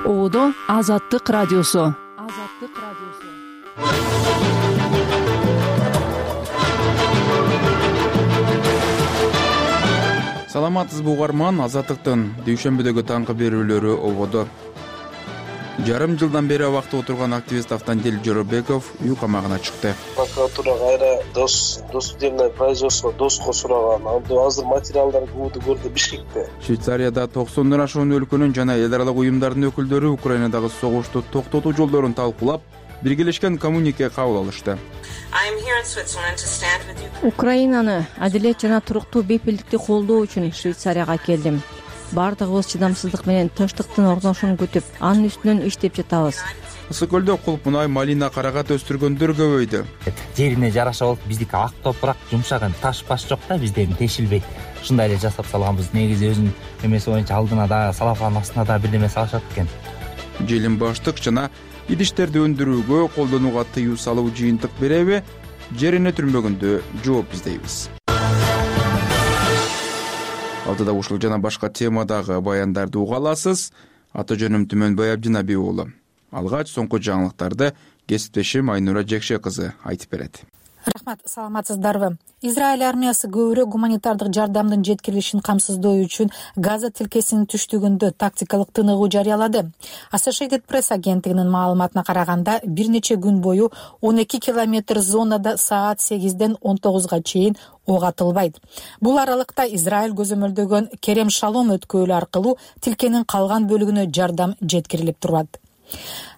Оодо Азаттык радиосу. Саламатсызбы угарман, Азаттыктын дүйшөмбүдөгү таңкы берүүлөрү ободо. Жарым жылдан бери абакта отурган активист Автандил Жоробеков үй камагына чыкты. Прокуратура кайра досудебное производство доско сураган. Азыр материалдар көрдү Бишкекте. Швейцарияда 90 ашуун өлкөнүн жана эл аралык уюмдардын өкүлдөрү Украинадагы согушту токтотуу жолдорун талкуулап, биргелешкен коммюнике кабыл алышты. Украинаны адилет жана туруктуу бейпилдикти колдоо үчүн Швейцарияга келдим. Бардыгыбыз чыдамсыздык менен тынчтыктын орношун күтүп, анын үстүнөн иштеп жатабыз. Ысык көлдө кулп мунай, малина, карагат өстүргөндөр көбөйдү. Жерине жараша болуп, биздики ак топурак, жумшаган таш баш жок да, бизден тешилбейт. Ушундай эле жасап салганбыз. Негизи өзүнүн эмеси боюнча алдына да, салафан астына да бирдеме салышат экен. Желим баштык жана идиштерди өндүрүүгө колдонууга тыюу салуу жыйынтык береби? Жерине түрмөгүндө жооп издейбиз. Алдыда ушул жана башка темадагы баяндарды уга аласыз. Аты жөнүм Түмөнбай Абдинабий уулу. Алгач соңку жаңылыктарды кесиптешим Айнура Жекше кызы айтып берет. Рахмат, саламатсыздарбы? Израиль армиясы көбүрөөк гуманитардык жардамдын жеткирилишин камсыздоо үчүн Газа тилкесинин түштүгүндө тактикалык тыныгуу жарыялады. Associated Press агенттигинин маалыматына караганда, бир нече күн бою 12 километр зонада саат 8ден 19га чейин ок атылбайт. Бул аралыкта Израиль көзөмөлдөгөн Керем Шалом өткөлү аркылуу тилкенин калган бөлүгүнө жардам жеткирилип турат.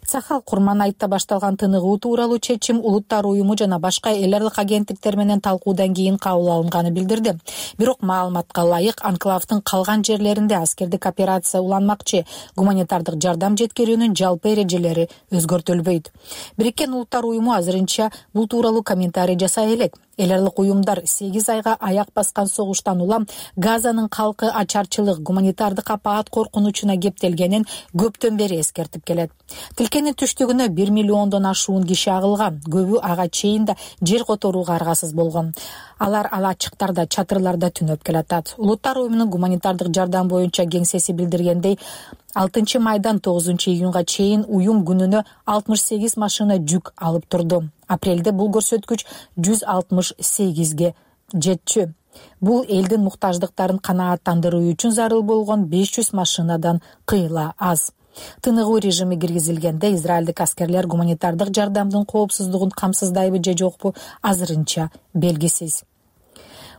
Сахал Курман айтта башталган тыныгуу тууралуу чечим Улуттар уюму жана башка эл аралык агенттиктер менен талкуудан кийин кабыл алынганы билдирди. Бирок маалыматка ылайык, анклавдын калган жерлеринде аскердик операция уланмакчы. Гуманитардык жардам жеткирүүнүн жалпы эрежелери өзгөртүлбөйт. Бириккен Улуттар уюму азырынча бул тууралуу комментарий жасай элек. Эл аралык уюмдар 8 айга аяк баскан согуштан улам Газанын калкы ачарчылык, гуманитардык апаат коркунучуна кептелгенин көптөн бери эскертип келет. Тилкенин түштүгүнө 1 миллиондон ашуун киши агылган, көбү ага чейин да жер которууга аргасыз болгон. Алар ачыктарда, чатырларда түнөп келатат. Улуттар уюмунун гуманитардык жардам боюнча кеңсеси билдиргендей, 6 майдан 9 июнга чейин уюм күнүнө 68 машина жүк алып турду. Апрелде бул көрсөткүч 168ге жетчү. Бул элдин муктаждыктарын канааттандыруу үчүн зарыл болгон 500 машинадан кыйла аз. Тыныгуу режими киргизилгенде израилдик аскерлер гуманитардык жардамдын коопсуздугун камсыздайбы же жокпу азырынча белгисиз.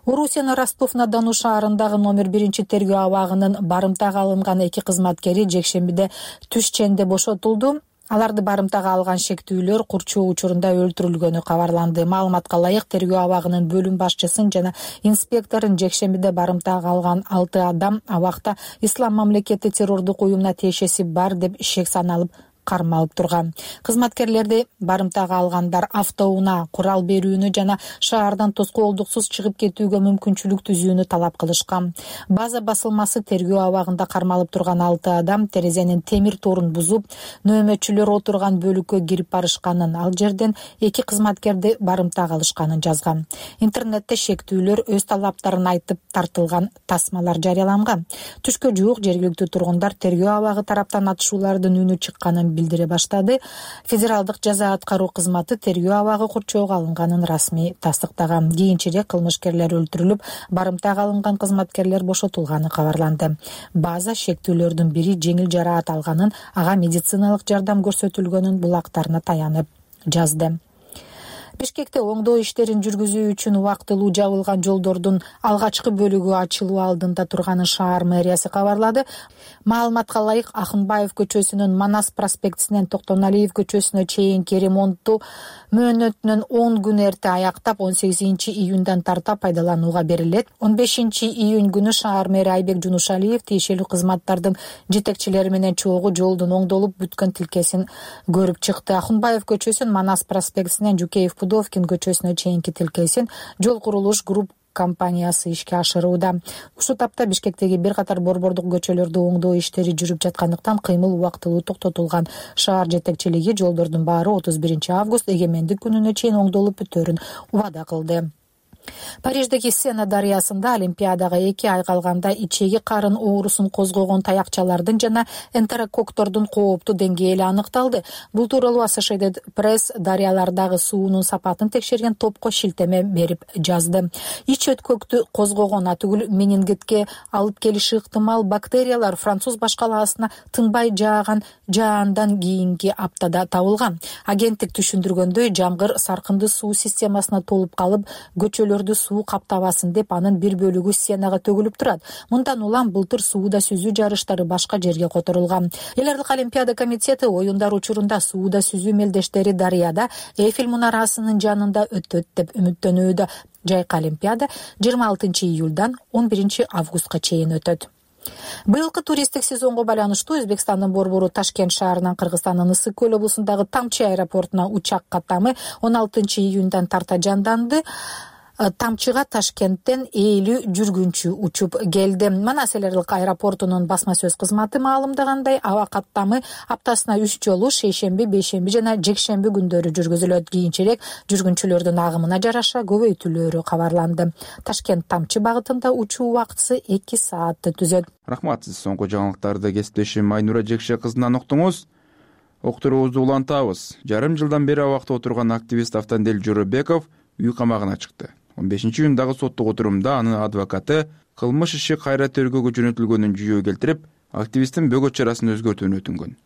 Орусиянын Ростов-на-Дону шаарындагы номер 1 тергөө абагынын барымтага алынган 2 кызматкери жекшембиде түш ченде бошотулду. Аларды барымтага алган шектүүлөр курчоо учурунда өлтүрүлгөнү кабарланды. Маалыматка ылайык, тергөө абагынын бөлүм башчысын жана инспекторун жекшембиде барымтага алган 6 адам абакта Ислам мамлекети террордук уюмуна тиешеси бар деп шек саналып кармалып турган. Кызматкерлерди барымтага алгандар автоунаа, курал берүүнү жана шаардан тоскоолдуксуз чыгып кетүүгө мүмкүнчүлүк түзүүнү талап кылышкан. База басылмасы тергөө абагында кармалып турган 6 адам терезенин темир торун бузуп, нөөмөтчүлөр отурган бөлүккө кирип барышканын, ал жерден 2 кызматкерди барымтага алышканын жазган. Интернетте шектүүлөр өз талаптарын айтып тартылган тасмалар жарыяланган. Түшкө жуук жергиликтүү тургундар тергөө абагы тараптан атышуулардын үнү чыкканын билдире баштады. Федералдык жаза аткаруу кызматы тергөө абагы курчоого алынганын расмий тастыктаган. Кийинчерээк кылмышкерлер өлтүрүлүп, барымтага алынган кызматкерлер бошотулганы кабарланды. База шектүүлөрдүн бири жеңил жараат алганын, ага медициналык жардам көрсөтүлгөнүн булактарына таянып жазды. Бишкекте оңдоо иштерин жүргүзүү үчүн убактылуу жабылган жолдордун алгачкы бөлүгү ачылуу алдында турганын шаар мэриясы кабарлады. Маалыматка ылайык, Акынбаев көчөсүнүн Манас проспектисинен Токтоналиев көчөсүнө чейинки ремонтту мөөнөтүнөн 10 күн эрте аяктап, 18 июндан тарта пайдаланууга берилет. 15 июнь күнү шаар мэри Айбек Жунушалиев тиешелүү кызматтардын жетекчилери менен чогуу жолдун оңдолуп бүткөн тилкесин көрүп чыкты. Акынбаев көчөсүн Манас проспектисинен Жукеев Пудовкин көчөсүнө чейинки тилкесин жол курулуш групп компаниясы ишке ашырууда. Ушул тапта Бишкектеги бир катар борбордук көчөлөрдө оңдоо иштери жүрүп жаткандыктан кыймыл убактылуу токтотулган. Шаар жетекчилиги жолдордун баары 31 август эгемендик күнүнө чейин оңдолуп бүтөөрүн убада кылды. Париждеги Сена дарыясында Олимпиадага 2 ай калганда ичеги карын оорусун козгогон таякчалардын жана энтерококктордун кооптуу деңгээли аныкталды. Бул тууралуу Associated Press дарыялардагы суунун сапатын текшерген топко шилтеме берип жазды. Ич өткөктү козгогон атүгүл менингитке алып келиши ыктымал бактериялар француз башкалаасына тынбай жааган жаандан кийинки аптада табылган. Агенттик түшүндүргөндөй, жамгыр саркынды суу системасына толуп калып, көчөлөрдү суу каптабасын деп анын бир бөлүгү Сенага төгүлүп турат. Мындан улам былтыр сууда сүзүү жарыштары башка жерге которулган. Эл аралык Олимпиада комитети оюндар учурунда сууда сүзүү мелдештери дарыяда Эйфель мунарасынын жанында өтөт деп үмүттөнүүдө. Жайкы Олимпиада 26 июлдан 11 августка чейин өтөт. Быйылкы туристтик сезонго байланыштуу Өзбекстандын борбору Ташкент шаарынан Кыргызстандын Ысык көл облусундагы Тамчы аэропортуна учак каттамы 16 июндан тарта жанданды. Тамчыга Ташкенттен 50 жүргүнчү учуп келди. Манас эл аралык аэропортунун басма сөз кызматы маалымдагандай, аба каттамы аптасына 3 жолу шейшемби, бейшемби жана жекшемби күндөрү жүргүзүлөт. Кийинчерээк жүргүнчүлөрдүн агымына жараша көбөйтүлөөрү кабарланды. Ташкент Тамчы багытында учуу убактысы 2 саатты түзөт. Рахмат, сиз соңку жаңылыктарды кесиптешим Айнура Жекше кызынан уктуңуз. Октуруубузду улантабыз. Жарым жылдан бери абакта отурган активист Автандил Жоробеков үй камагына чыкты. 15 июндагы соттук отурумда анын адвокаты кылмыш иши кайра тергөөгө жөнөтүлгөнүн жүйө келтирип, активисттин бөгөт чарасын өзгөртүүнү өтүнгөн.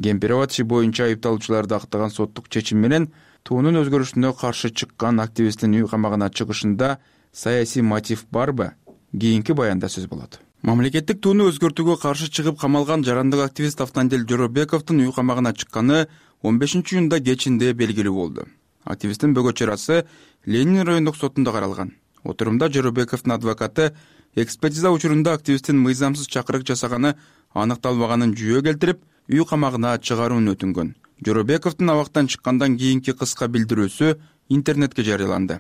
Кемпирабад иши боюнча айыпталуучуларды актаган соттук чечим менен туунун өзгөрүшүнө каршы чыккан активисттин үй камагына чыгышында саясий мотив барбы? Кийинки баянда сөз болот. Мамлекеттик тууну өзгөртүүгө каршы чыгып камалган жарандык активист Автандил Жоробековдун үй камагына чыкканы 15 июнда кечинде белгилүү болду. Активисттин бөгөт чарасы Ленин райондук сотунда каралган. Отурумда Жоробековдун адвокаты экспертиза учурунда активисттин мыйзамсыз чакырык жасаганы аныкталбаганын жүйө келтирип, үй камагына чыгарууну өтүнгөн. Жоробековдун абактан чыккандан кийинки кыска билдирүүсү интернетке жарыяланды.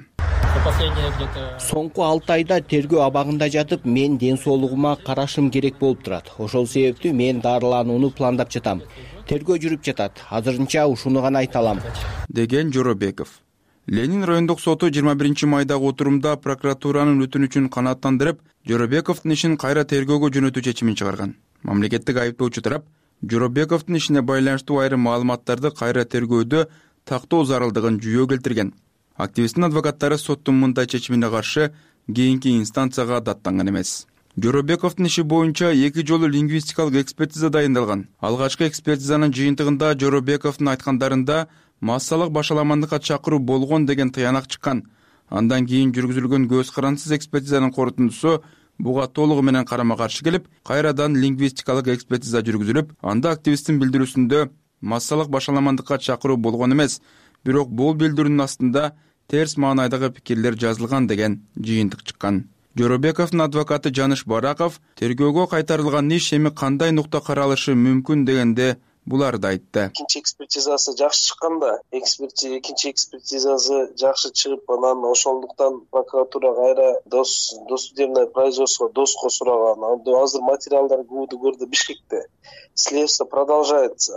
Соңку 6 айда тергөө абагында жатып, мен ден соолугума карашым керек болуп турат. Ошол себептүү мен дарыланууну пландап жатам. Тергөө жүрүп жатат. Азырынча ушуну гана айта алам, деген Жоробеков. Ленин райондук соту 21 майдагы отурумда прокуратуранын өтүнүчүн канааттандырып, Жоробековдун ишин кайра тергөөгө жөнөтүү чечимин чыгарган. Мамлекеттик айыптоочу тарап Жоробековдун ишине байланыштуу айрым маалыматтарды кайра тергөөдө тактоо зарылдыгын жүйө келтирген. Активисттин адвокаттары соттун мындай чечимине каршы кийинки инстанцияга даттанган эмес. Жоробековдун иши боюнча 2 жолу лингвистикалык экспертиза дайындалган. Алгачкы экспертизанын жыйынтыгында Жоробековдун айткандарында массалык башаламандыкка чакыруу болгон деген тыянак чыккан. Андан кийин жүргүзүлгөн көз карансыз экспертизанын корутундусу буга толугу менен карама-каршы келип, кайрадан лингвистикалык экспертиза жүргүзүлүп, анда активисттин билдирүүсүндө массалык башаламандыкка чакыруу болгон эмес, бирок бул билдирүүнүн астында терс маанайдагы пикирлер жазылган деген жыйынтык чыккан. Жоробековдун адвокаты Жаныш Бараков тергөөгө кайтарылган иш эми кандай нукта каралышы мүмкүн дегенде буларды айтты. Экинчи экспертизасы жакшы чыкканда, экинчи экспертизасы жакшы чыгып, анан ошондуктан прокуратура кайра досудебное производство доско сураган. Азыр материалдар көрдү Бишкекте. Следствие продолжается.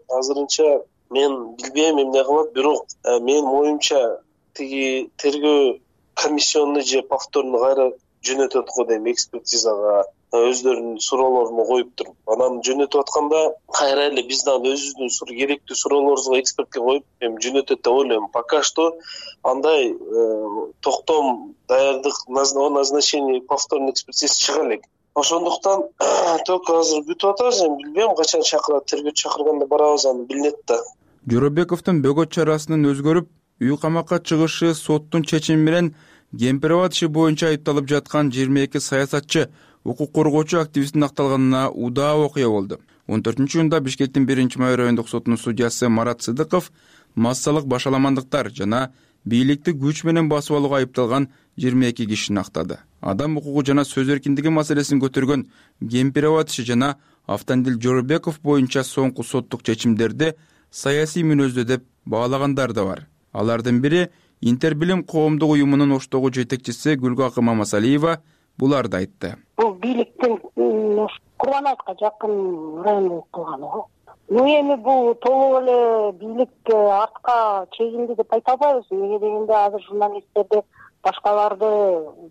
Азырынча мен билбейм эмне кылат, бирок менин оюмча тиги тергөө комиссионну же повторну кайра жөнөтөт го дейм, экспертизага өздөрүнүн суроолорун коюп туруп, анан жөнөтүп атканда кайра эле биз дагы өзүбүздүн керектүү суроолорубузга экспертке коюп жөнөтөт деп ойлойм. Пока что андай токтом даярдык о назначении повторной экспертизасы чыга элек. Ошондуктан только азыр күтүп атабыз, билбейм качан чакырат, тергөө чакырганда барабыз, аны билинет да. Жоробековдун бөгөт чарасынын өзгөрүп, үй камакка чыгышы соттун чечими менен Кемпирабад иши боюнча айыпталып жаткан 22 саясатчы, укук коргоочу активисттин акталганына удаа окуя болду. 14-июнда Бишкектин 1-май райондук сотунун судьясы Марат Сыдыков массалык башаламандыктар жана бийликти күч менен басып алууга айыпталган 22 кишини актады. Адам укугу жана сөз эркиндиги маселесин көтөргөн Кемпирабад иши жана Автандил Жоробеков боюнча соңку соттук чечимдерди саясий мүнөздө деп баалагандар да бар. Алардын бири Интербилим коомдук уюмунун Оштогу жетекчиси Гүлгакы Мамасалиева буларды айтты. Бул бийликтин Курманайытка жакын район кылганы го. Эми бул толук эле бийлик артка чегинди деп айта албайбыз. Эмне дегенде азыр журналисттерди башкаларды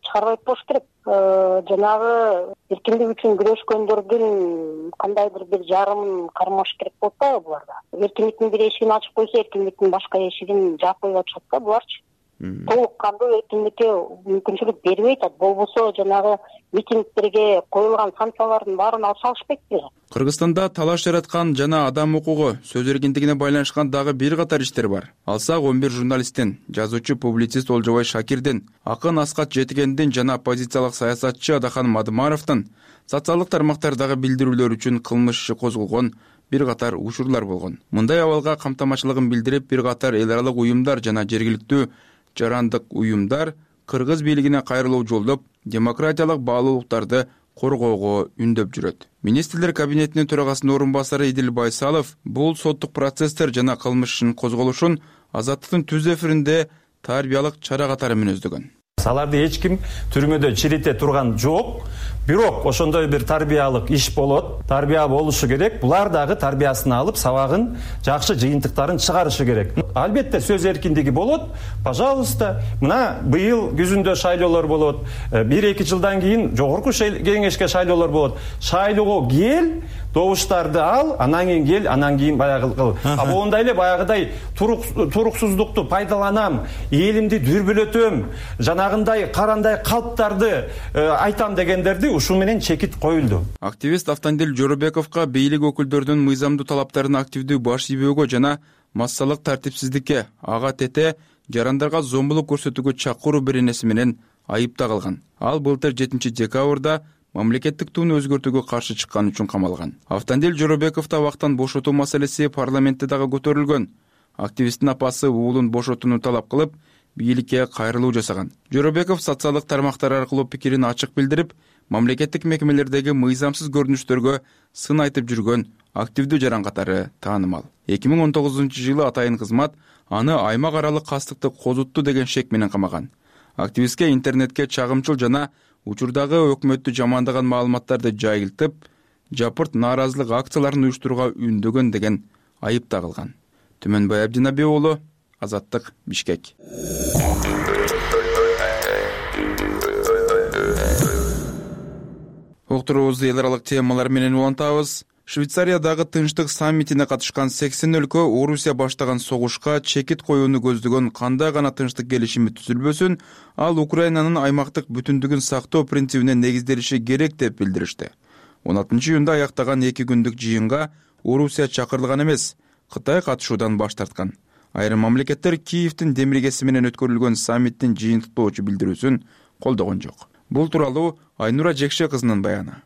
чыгарбайт болуш керек. Жанагы эркиндик үчүн күрөшкөндөрдүн кандайдыр бир жарымын кармаш керек болот да буларда. Эркиндиктин бир эшигин ачып койсо, эркиндиктин башка эшигин жаап коюп атышат да буларчы. Толук кандуу эркиндикке мүмкүнчүлүк бербей атат. Болбосо жанагы митингдерге коюлган санкциялардын баарын алып салышпайт беле. Кыргызстанда талаш жараткан жана адам укугу, сөз эркиндигине байланышкан дагы бир катар иштер бар. Алсак 11 журналисттин, жазуучу, публицист Олжобай Шакирдин, акын Аскат Жетигендин жана оппозициялык саясатчы Адахан Мадымаровдун социалдык тармактардагы билдирүүлөр үчүн кылмыш иши козголгон бир катар учурлар болгон. Мындай абалга камтамачылыгын билдирип, бир катар эл аралык уюмдар жана жергиликтүү жарандык уюмдар кыргыз бийлигине кайрылуу жолдоп, демократиялык баалуулуктарды коргоого үндөп жүрөт. Министрлер кабинетинин төрагасынын орун басары Идил Байсалов бул соттук процесстер жана кылмыш ишинин козголушун Азаттыктын түз эфиринде тарбиялык чара катары мүнөздөгөн. Аларды эч ким түрмөдө чирите турган жок. Бирок ошондой бир тарбиялык иш болот. Тарбия болушу керек. Булар дагы тарбиясын алып, сабагын, жакшы жыйынтыктарын чыгарышы керек. Албетте сөз эркиндиги болот. Пожалуйста, мына быйыл күзүндө шайлоолор болот. 1-2 жылдан кийин жогорку кеңешке шайлоолор болот. Шайлоого кел, добуштарды ал, анан кийин кел, анан кийин баягы кыл. Моундай эле баягыдай туруксуздукту пайдаланам, элимди дүрбөлөтөм, жанагындай карандай калптарды айтам дегендерди ушул менен чекит коюлду. Активист Автандил Жоробековго бийлик өкүлдөрүнүн мыйзамдуу талаптарын активдүү баш ийбөөгө жана массалык тартипсиздикке, ага тете жарандарга зомбулук көрсөтүүгө чакыруу беренеси менен айыпта калган. Ал былтыр 7 декабрда мамлекеттик туunu өзгөртүүгө каршы чыккан үчүн камалган. Автандил Жоробековду абактан бошотуу маселеси парламентте дагы көтөрүлгөн. Активисттин апасы уулун бошотууну талап кылып, бийликке кайрылуу жасаган. Жоробеков социалдык тармактар аркылуу пикирин ачык билдирип, мамлекеттик мекемелердеги мыйзамсыз көрүнүштөргө сын айтып жүргөн активдүү жаран катары таанымал. 2019-жылы атайын кызмат аны аймак аралык кастыкты козутту деген шек менен камаган. Активистке интернетке чагымчыл жана учурдагы өкмөттү жамандаган маалыматтарды жайылтып, жапырт нааразылык акцияларын уюштурууга үндөгөн деген айып тагылган. Түмөнбай Абдинабек уулу, Азаттык, Бишкек. Уктуруубузду эл аралык темалар менен улантабыз. Швейцариядагы тынчтык саммитине катышкан 80 өлкө Орусия баштаган согушка чекит коюуну көздөгөн кандай гана тынчтык келишими түзүлбөсүн, ал Украинанын аймактык бүтүндүгүн сактоо принцибине негизделиши керек деп билдиришти. 16-июнда аяктаган 2 күндүк жыйынга Орусия чакырылган эмес, Кытай катышуудан баш тарткан. Айрым мамлекеттер Киевдин демиргеси менен өткөрүлгөн саммиттин жыйынтыктоочу билдирүүсүн колдогон жок. Бул тууралуу Айнура Жекше кызынын баяны.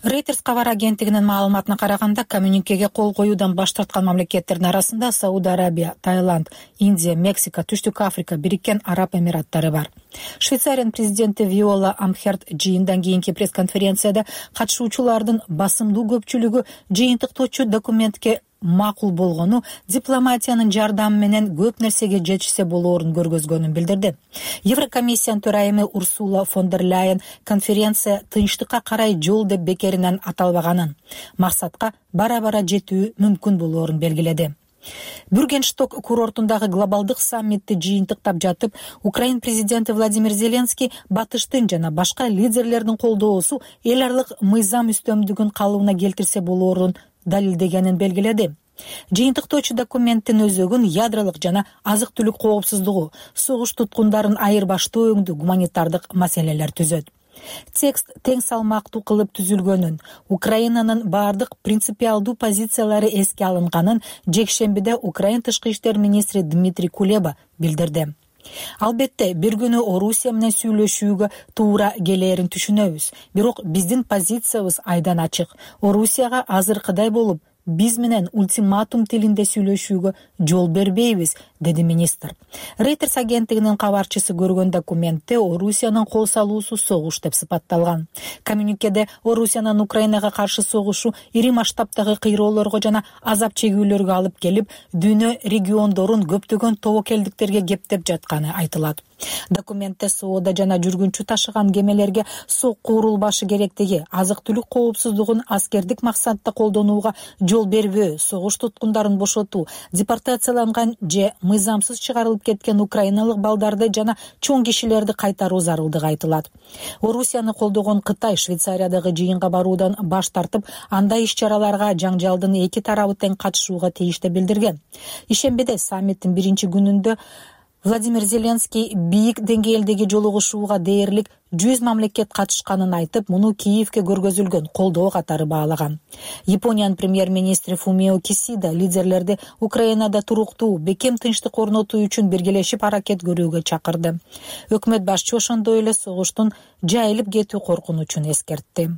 Reuters кабар агенттигинин маалыматына караганда, коммюникеге кол коюудан баш тарткан мамлекеттердин арасында Сауд Арабия, Таиланд, Индия, Мексика, Түштүк Африка, Бириккен Араб Эмираттары бар. Швейцариянын президенти Виола Амхерт жыйындан кийинки пресс-конференцияда катышуучулардын басымдуу көпчүлүгү жыйынтыктоочу документке макул болгону, дипломатиянын жардамы менен көп нерсеге жетишсе болоорун көргөзгөнүн билдирди. Еврокомиссиянын төрайымы Урсула фон дер Ляйен конференция тынчтыкка карай жол деп бекеринен аталбаганын, максатка бара-бара жетүү мүмкүн болоорун белгиледи. Бюргеншток курортундагы глобалдык саммитти жыйынтыктап жатып, Украин президенти Владимир Зеленский батыштын жана башка лидерлердин колдоосу эл аралык мыйзам үстөмдүгүн калыбына келтирсе болоорун далилдегенин белгиледи. Жыйынтыктоочу документтин өзөгүн ядролук жана азык-түлүк коопсуздугу, согуш туткундарын айырбаштоо өңдүү гуманитардык маселелер түзөт. Текст тең салмактуу кылып түзүлгөнүн, Украинанын бардык принципиалдуу позициялары эске алынганын жекшембиде Украин тышкы иштер министри Дмитрий Кулеба билдирди. Албетте, бир күнү Орусия менен сүйлөшүүгө туура келээрин түшүнөбүз. Бирок биздин позициябыз айдан ачык. Орусияга азыркыдай болуп, биз менен ультиматум тилинде сүйлөшүүгө жол бербейбиз, деди министр. Reuters агенттигинин кабарчысы көргөн документте Орусиянын кол салуусу согуш деп сыпатталган. Коммюникеде Орусиянын Украинага каршы согушу ири масштабтагы кыйроолорго жана азап чегүүлөргө алып келип, дүйнө региондорун көптөгөн тобокелдиктерге кептеп жатканы айтылат. Документте соода жана жүргүнчү ташыган кемелерге сокку урулбашы керектиги, азык түлүк коопсуздугун аскердик максатта колдонууга жол бербөө, согуш туткундарын бошотуу, депортацияланган же мыйзамсыз чыгарылып кеткен украиналык балдарды жана чоң кишилерди кайтаруу зарылдыгы айтылат. Орусияны колдогон Кытай Швейцариядагы жыйынга баруудан баш тартып, андай иш-чараларга жаңжалдын эки тарабы тең катышууга тийиштүү билдирген. Ишембиде саммиттин биринчи күнүндө Владимир Зеленский бийик деңгээлдеги жолугушууга дээрлик 100 мамлекет катышканын айтып, муну Киевке көргөзүлгөн колдоо катары баалаган. Япониянын премьер-министри Фумио Кисида лидерлерди Украинада туруктуу, бекем тынчтык орнотуу үчүн биргелешип аракет көрүүгө чакырды. Өкмөт башчы ошондой эле согуштун жайылып кетүү коркунучун эскертти.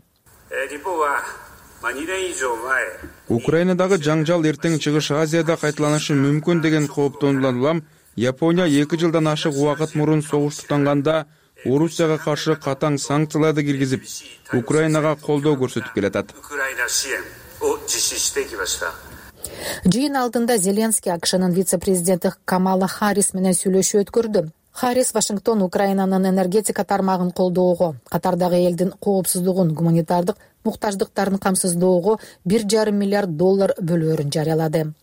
Украинадагы жаңжал эртең Чыгыш Азияда кайталанышы мүмкүн деген кооптонуудан улам Япония 2 жылдан ашык убакыт мурун согуш тутанганда Орусияга каршы катаң санкцияларды киргизип, Украинага колдоо көрсөтүп келатат. Жыйын алдында Зеленский АКШнын вице-президенти Камала Харрис менен сүйлөшүү өткөрдү. Харрис Вашингтон Украинанын энергетика тармагын колдоого, катардагы элдин коопсуздугун, гуманитардык муктаждыктарын камсыздоого $1,5 миллиард бөлөөрүн жарыялады.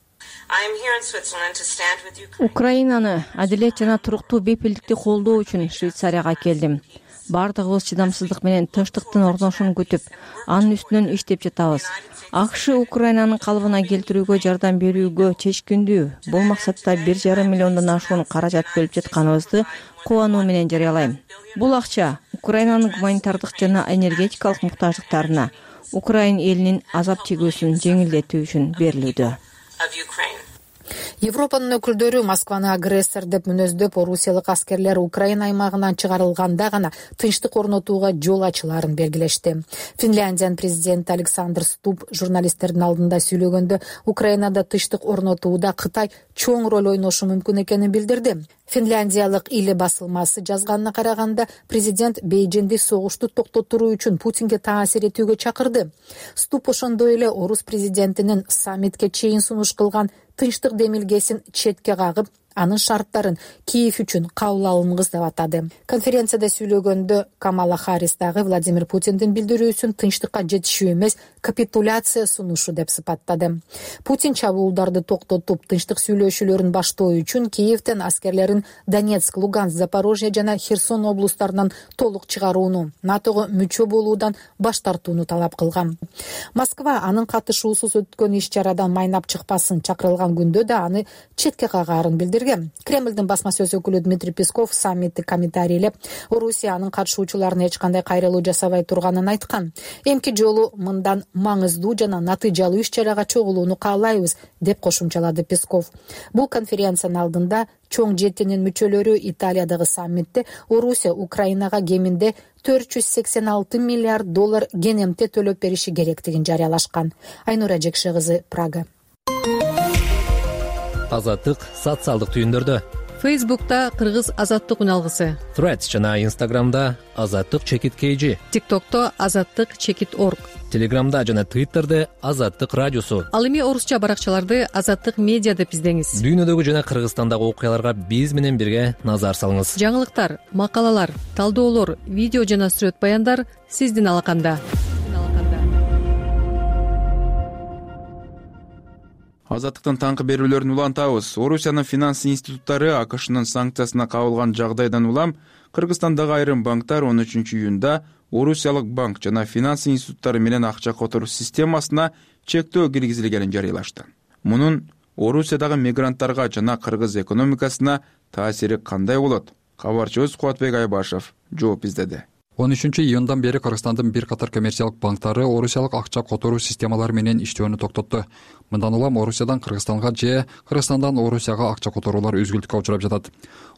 Украинаны адилет жана туруктуу бепилдикти колдоо үчүн Швейцарияга келдим. Бардыгыбыз чыдамсыздык менен тынчтыктын орношун күтүп, анын үстүнөн иштеп жатабыз. АКШ Украинанын калыбына келтирүүгө жардам берүүгө чечкиндүү. Бул максатта $1,5 миллиондон ашуун каражат бөлүп жатканыбызды кубануу менен жарыялайм. Бул акча Украинанын гуманитардык жана энергетикалык муктаждыктарына, Украин элинин азап чегүүсүн жеңилдетүү үчүн берилүүдө. Европанын өкүлдөрү Москваны агрессор деп мүнөздөп, орусиялык аскерлер Украина аймагынан чыгарылганда гана тынчтык орнотууга жол ачыларын белгилешти. Финляндиянын президенти Александр Ступ журналисттердин алдында сүйлөгөндө Украинада тынчтык орнотууда Кытай чоң роль ойношу мүмкүн экенин билдирди. Финляндиялык Иле басылмасы жазганына караганда, президент Бейжиңди согушту токтотуруу үчүн Путинге таасир этүүгө чакырды. Ступ ошондой эле орус президентинин саммитке чейин сунуш кылган тынчтык демилгесин четке кагып, анын шарттарын Киев үчүн кабыл алынгыс деп атады. Конференцияда сүйлөгөндө Камала Харрис дагы Владимир Путиндин билдирүүсүн тынчтыкка жетишүү эмес, капитуляция сунушу деп сыпаттады. Путин чабуулдарды токтотуп, тынчтык сүйлөшүүлөрүн баштоо үчүн Киевтен аскерлерин Донецк, Луганск, Запорожье жана Херсон облустарынан толук чыгарууну, НАТОго мүчө болуудан баш тартууну талап кылган. Москва анын катышуусуз өткөн иш-чарадан майнап чыкпасын чакырылган күндө да аны четке кагаарын билдирген. Кремлдин басма сөз өкүлү Дмитрий Песков саммитти комментарийлеп, Орусия анын катышуучуларына эч кандай кайрылуу жасабай турганын айткан. Эмки жолу мындан маңыздуу жана натыйжалуу иш-чарага чогулууну каалайбыз, деп кошумчалады Песков. Бул конференциянын алдында чоң жетинин мүчөлөрү Италиядагы саммитте Орусия Украинага кеминде $486 миллиард кенемте төлөп бериши керектигин жарыялашкан. Айнура Жекше кызы, Прага. Азаттык социалдык түйүндөрдө. Фейсбукта Кыргыз азаттык үналгысы. Threads жана Instagramда Азаттык _KG. TikTokто Азаттык_org. Телеграмда жана Twitterде Азаттык радиосу. Ал эми орусча баракчаларды Азаттык медиа деп издеңиз. Дүйнөдөгү жана Кыргызстандагы окуяларга биз менен бирге назар салыңыз. Жаңылыктар, макалалар, талдоолор, видео жана сүрөт баяндар сиздин алаканда. Азаттыктын таңкы берүүлөрүн улантабыз. Орусиянын финанс институттары АКШнын санкциясына кабылган жагдайдан улам Кыргызстандагы айрым банктар 13 июнда Орусиялык банк жана финанс институттары менен акча которуу системасына чектөө киргизилгенин жарыялашты. Мунун Орусиядагы мигранттарга жана кыргыз экономикасына таасири кандай болот? Кабарчыбыз Кубатбек Айбашев жооп издеди. 13 июндан бери Кыргызстандын бир катар коммерциялык банктары орусиялык акча которуу системалары менен иштөөнү токтотту. Мындан улам Орусиядан Кыргызстанга же Кыргызстандан Орусияга акча которуулар үзгүлтүккө учурап жатат.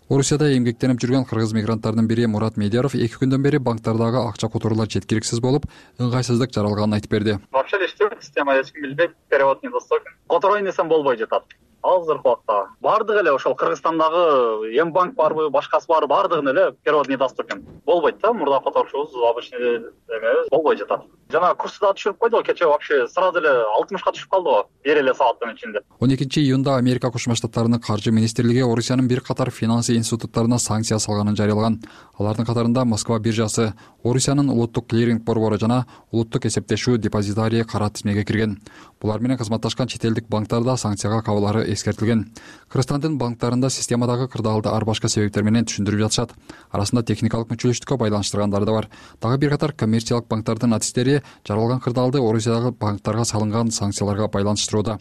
Орусияда эмгектенип жүргөн кыргыз мигранттардын бири Мурат Медяров 2 күндөн бери банктардагы акча которуулар жеткиликсиз болуп, ыңгайсыздык жаралганын айтып берди. Вообще иштөө система эч ким билбейт, перевод недоступен. Которуу несем болбой жатат. азыркы убакта баардыгы эле ошол Кыргызстандагы М банк барбы, башкасы барбы, баардыгын эле перевод недоступен экен. Болбойт да, мурда которушубуз обычный эмебиз болбой жатат. Жана курсу да түшүрүп койду кечээ, вообще сразу эле 60ка түшүп калды го бир эле сааттын ичинде. 12-июнда Америка Кошмо Штаттарынын каржы министрлиги Орусиянын бир катар финансы институттарына санкция салганын жарыялаган. Алардын катарында Москва биржасы, Орусиянын улуттук клиринг борбору жана улуттук эсептешүү депозитарий кара тизмеге кирген. Булар менен кызматташкан чет элдик банктарда санкцияга кабылары эскертилген. Кыргызстандын банктарында системадагы кырдаалды ар башка себептер менен түшүндүрүп жатышат. Арасында техникалык мүчөлүштүккө байланыштыргандары да бар. Дагы бир катар коммерциялык банктардын артисттери жаралган кырдаалды Орусиядагы банктарга салынган санкцияларга байланыштырууда.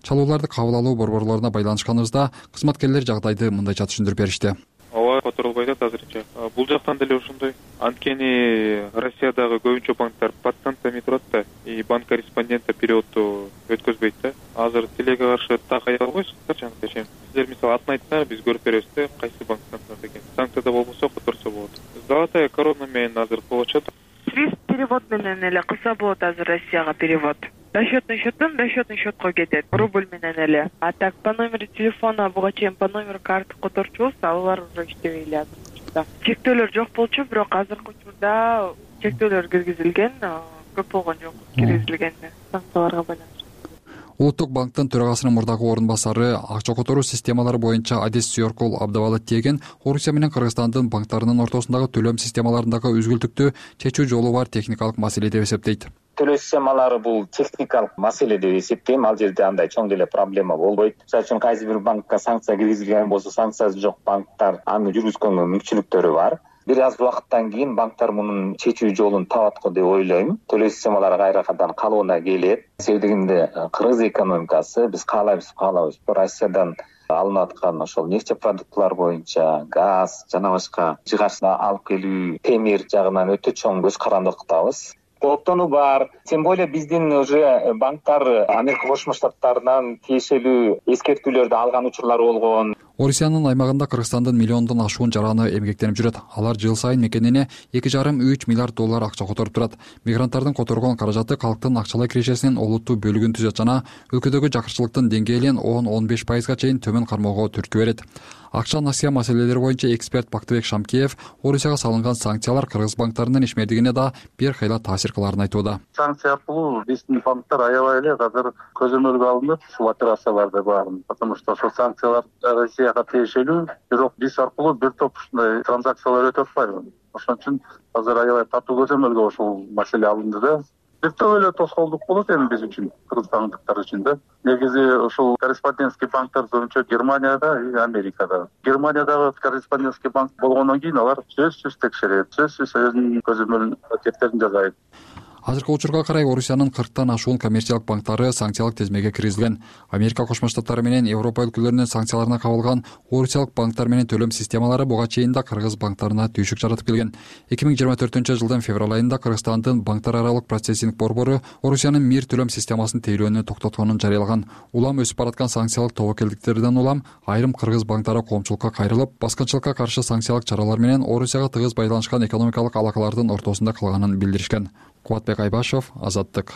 Чалууларды кабыл алуу борборлоруна байланышканыбызда кызматкерлер жагдайды мындайча түшүндүрүп беришти. Ооба, которулбай атат азырынча. Бул жактан деле ошондой. Анткени Россиядагы көбүнчө банктар пациентами турат да, и банк корреспондента переводду өткөзбөйт да. Азыр тилеге каршы так ая албайсыз качан дешем. Сиздер мисалы атын айтса, биз көрүп беребиз да, кайсы банктан деген. Санкцияда болбосо которсо болот. Золотая корона менен азыр болочу. Свифт перевод менен эле кылса болот азыр Россияга перевод. Расчётный счетко кетет, рубль менен эле. А так по номеру телефона буга чейин по номеру карты которчубуз, алар уже иштебей эле азыр. Чектөөлөр жок болчу, бирок азыркы учурда чектөөлөр киргизилген, көп болгон жок киргизилген санкцияларга байланыштуу. Улуттук банктын төрагасынын мурдагы орун басары акча которуу системалары боюнча Адес Сүйөркул Абдыбалы тиеген Орусия менен Кыргызстандын банктарынын ортосундагы төлөм системаларындагы үзгүлтүктү чечүү жолу бар техникалык маселе деп эсептейт. Төлөө системалары бул техникалык маселе деп эсептейм. Ал жерде андай чоң деле проблема болбойт. Мисалы үчүн кайсы бир банкка санкция киргизилген болсо, санкциясы жок банктар аны жүргүзгөнгө мүмкүнчүлүктөрү бар. Бир аз убакыттан кийин банктар мунун чечүү жолун табат го деп ойлойм. Төлөө системалары кайрадан калыбына келет. Себебинде кыргыз экономикасы биз каалайбыз Россиядан алынып аткан ошол нефтепродуктулар боюнча газ жана башка жыгачты алып келүү, темир жагынан өтө чоң көз карандылыктабыз. Кооптонуу бар. Тем более биздин уже банктар Америка Кошмо Штаттарынан тиешелүү эскертүүлөрдү алган учурлары болгон. Орусиянын аймагында Кыргызстандын миллиондон ашуун жараны эмгектенип жүрөт. Алар жыл сайын мекенине 2,5–3 миллиард доллар акча которуп турат. Мигранттардын которгон каражаты калктын акчалай кирешесинин олуттуу бөлүгүн түзөт жана өлкөдөгү жакырчылыктын деңгээлин 10–15% чейин төмөн кармоого түрткү берет. Акча насыя маселелери боюнча эксперт Бактыбек Шамкеев Орусияга салынган санкциялар кыргыз банктарынын ишмердигине да бир кыйла таасир кыларын айтууда. Санкция аркылуу биздин банктар аябай эле азыр көзөмөлгө алынып, ушул операцияларды баарын. Потому что ошол санкциялар Россияга тиешелүү, бирок биз аркылуу бир топ ушундай транзакциялар өтүп атпайбы. Ошон үчүн азыр аябай катуу көзөмөлгө ошол маселе алынды да. Бир топ эле тоскоолдук болот эми биз үчүн, кыргызстандыктар үчүн да. Негизи ошол корреспондентский банктар көбүнчө Германияда и Америкада. Германиядагы корреспондентский банк болгондон кийин алар сөзсүз текшерет, сөзсүз өзүнүн көзөмөл кептерин жасайт. Азыркы учурга карай Орусиянын 40тан ашуун коммерциялык банктары санкциялык тизмеге киргизилген. Америка Кошмо Штаттары менен Европа өлкөлөрүнүн санкцияларына кабылган Орусиялык банктар менен төлөм системалары буга чейин да кыргыз банктарына түйшүк жаратып келген. 2024-жылдын февраль айында Кыргызстандын банктар аралык процессинг борбору Орусиянын МИР төлөм системасын тейлөөнү токтотконун жарыялаган. Улам өсүп бараткан санкциялык тобокелдиктерден улам айрым кыргыз банктары коомчулукка кайрылып, баскынчылыкка каршы санкциялык чаралар менен Орусияга тыгыз байланышкан экономикалык алакалардын ортосунда калганын билдиришкен. Кубатбек Айбашев, Азаттык.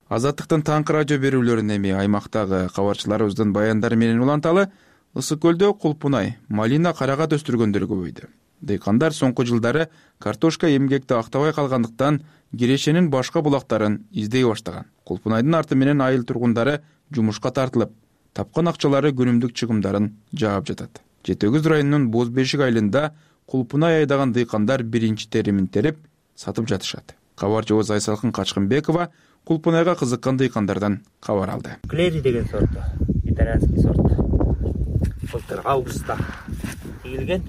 Азаттыктын таңкы радио берүүлөрүн эми аймактагы кабарчыларыбыздын баяндары менен уланталы. Ысык көлдө кулпунай, малина, карагат өстүргөндөр көбөйдү. Дыйкандар соңку жылдары картошка эмгекти актабай калгандыктан Кирешенин башка булактарын издей баштаган. Кулпунайдын арты менен айыл тургундары жумушка тартылып, тапкан акчалары күнүмдүк чыгымдарын жаап жатат. Жети Өгүз районунун Боз Бешик айылында кулпунай айдаган дыйкандар биринчи теримин терип сатып жатышат. Кабарчыбыз Айсалкын Качкынбекова кулпунайга кызыккан дыйкандардан кабар алды. Клери деген сорт, итальянский сорт. Былтыр августта ийилген.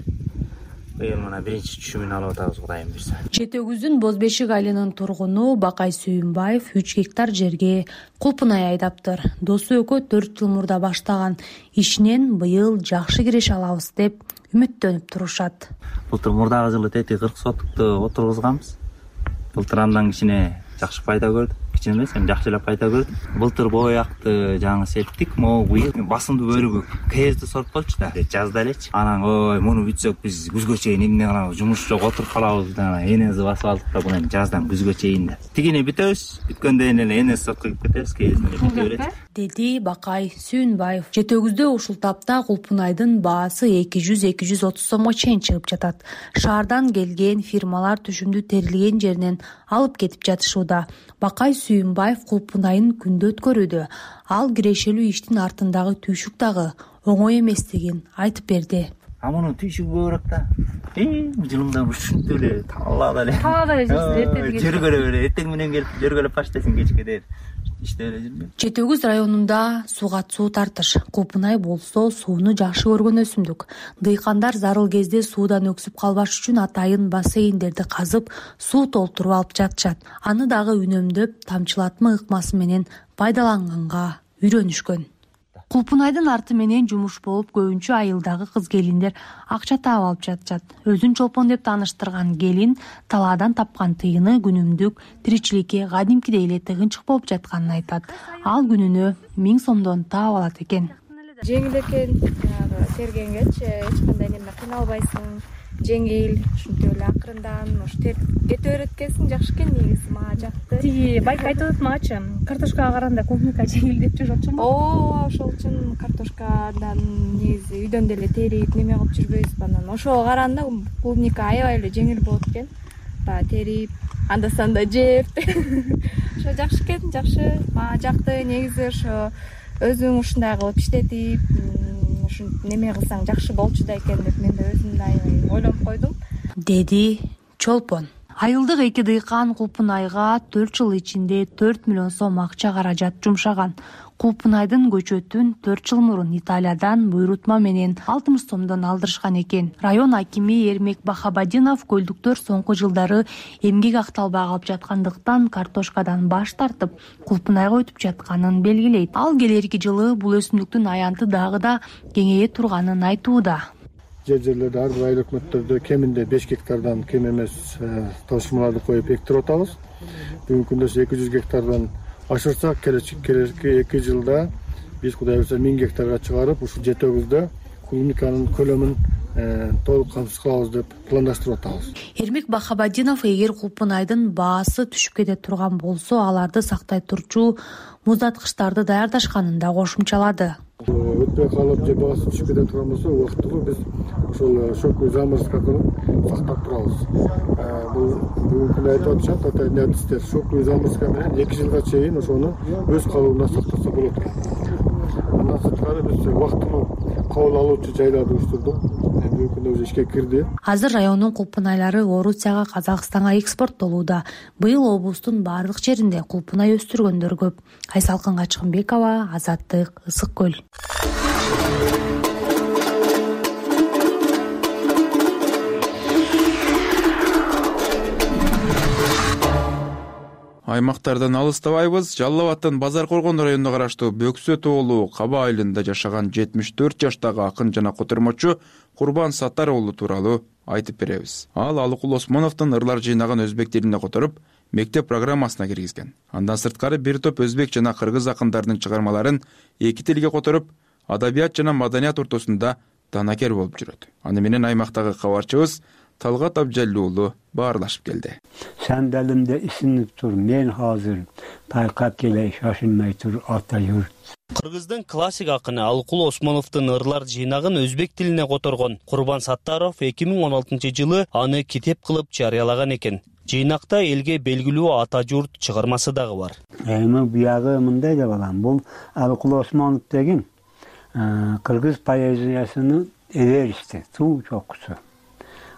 Быйыл мына биринчи түшүмүн алып атабыз, Кудайым буйрса. Жети Өгүздүн Боз Бешик айылынын тургуну Бакай Сүйүнбаев 3 гектар жерге кулпунай айдаптыр. Досу экөө 4 жыл мурда баштаган ишинен быйыл жакшы киреш алабыз деп үмүттөнүп турушат. Былтыр мурдагы жылы тети 40 соттукту отургузганбыз. Былтыр андан кичине жакшы пайда көрдүк. кичине эмес, эми жакшы эле пайда көрдүм. Былтыр боякты жаңы септик, могу быйыл басымдуу бөлүгү кезди сортколчу да. Жазда элечи. Анан ой, муну бүтсөк биз күзгө чейин эмне кылабыз, жумуш жок, отуруп калабыз да. Энеси басып алдык да, буну жаздан күзгө чейин да. Тигини бүтөбүз, бүткөндөн кийин эле энеси сотко кирип кетебиз, кезин эле бүтө берет, деди Бакай Сүйүнбаев. Жетөгүздө ушул тапта кулпунайдын баасы 200-230 сомго чейин чыгып жатат. Шаардан келген фирмалар түшүмдү терилген жеринен алып кетип жатышууда. Бакай Сүйүнбаев кулпунайын күндө өткөрүүдө. Ал кирешелүү иштин артындагы түйшүк дагы оңой эместигин айтып берди. Мунун түйшүгү көбүрөөк да. Жылымда ушинтип эле талаада эле. Талаада эле жүрсүз, Жөргөлө эле эртең менен келип жөргөлөп баштайсың, кечке дейт. Иштеп эле жүрмөйм. Жетөгүз районунда сууга суу тартыш. Кулпунай болсо сууну жакшы көргөн өсүмдүк. Дыйкандар зарыл кезде суудан өксүп калбаш үчүн атайын бассейндерди казып, суу толтуруп алып жатышат. Аны дагы үнөмдөп, тамчылатма ыкмасы менен пайдаланганга үйрөнүшкөн. Кулпунайдын арты менен жумуш болуп, көбүнчө айылдагы кыз-келиндер акча таап алып жатышат. Өзүн чолпон деп тааныштырган келин талаадан тапкан тыйыны күнүмдүк тиричиликке кадимкидей эле тыгынчык болуп жатканын айтат. Ал күнүнө 1000 сомдон таап алат экен. Жеңил экен, тергенгечи эч кандай неме кыйналбайсың, жеңил, ушинтип эле акырындан кете берет экенсиң, жакшы экен негизи, мага жакты. Тиги байка айтып атат магачы, картошкага караганда клубника жеңил деп жүрөтчүмүн. Ооба, ошол үчүн картошкадан негизи үйдөн деле терип неме кылып жүрбөйбүзбү, анан ошого караганда клубника аябай эле жеңил болот экен. Баягы терип, анда санда жеп. Ошо жакшы экен, жакшы. Мага жакты негизи, ошо өзүң ушундай кылып иштетип, ушинтип неме кылсаң жакшы болчу да экен деп мен да өзүм да аябай ойлонуп койдум, деди чолпон. Айылдык эки дыйкан Кулпунайга 4 жыл ичинде 4 миллион сом акча каражат жумшаган. Кулпунайдын көчөтүн 4 жыл мурун Италиядан буйрутма менен 60 сомдон алдырышкан экен. Район акими Эрмек Бахабадинов көлдүктөр соңку жылдары эмгек акталбай калып жаткандыктан картошкадан баш тартып, Кулпунайга өтүп жатканын белгилейт. Ал келерки жылы бул өсүмдүктүн аянты дагы да кеңейе турганын айтууда. Жерлерде ар бир айыл өкмөттөрдө кеминде 5 гектардан кем эмес ташымаларды коюп эктирип атабыз. Бүгүнкү күндө 200 гектардан ашырсак, келечки 2 жылда биз Кудай буйрса 1000 гектарга чыгарып, ушул Жетөгүздө клубниканын көлөмүн толук камсыз кылабыз деп пландаштырып атабыз. Эрмек Бахабадинов эгер Кулпунайдын баасы түшүп кете турган болсо, аларды сактай турчу муздаткычтарды даярдашканын да кошумчалады. Өтпөй калып же баасы түшүп кете турган болсо, убактылуу биз ошол шоковый заморозка кылып сактап турабыз. Бул бүгүнкү күндө айтып атышат атайын адистер, шоковый заморозка менен 2 жылга чейин ошону өз калыбында сактаса болот экен. Андан сырткары биз убактылуу кабыл алуучу жайларды уюштурдук. Бүгүнкү күндө уже ишке кирди. Азыр райондун кулпунайлары Орусияга, Казакстанга экспорттолууда. Быйыл облустун бардык жеринде кулпунай өстүргөндөр көп. Айсалкын Качкынбекова, Азаттык, Ысык көл. Аймактардан алыстабайбыз. Жалал Абадтын Базар Коргон районуна караштуу Бөксө тоолу Каба айылында жашаган 74 жаштагы акын жана котормочу Курбан Саттар уулу тууралуу айтып беребиз. Ал Алыкул Осмоновдун ырлар жыйнаган өзбек тилине которуп, мектеп программасына киргизген. Андан сырткары бир топ өзбек жана кыргыз акындардын чыгармаларын эки тилге которуп, адабият жана маданият ортосунда данакер болуп жүрөт. Аны менен аймактагы кабарчыбыз Талгат Абжаллуулу баарлашып келди. Сандалымда исинип тур, мен азыр тайкап келе шашылмай тур, ата юрт. Кыргыздын классик акыны Алыкул Осмоновдун ырлар жыйнагын өзбек тилине которгон Курбан Саттаров 2016-жылы аны китеп кылып жарыялаган экен. Жыйнакта элге белгилүү ата журт чыгармасы дагы бар. Эми буягы мындай деп алам, бул Алыкул Осмонов деген кыргыз поэзиясынын эверисти, суу чокусу.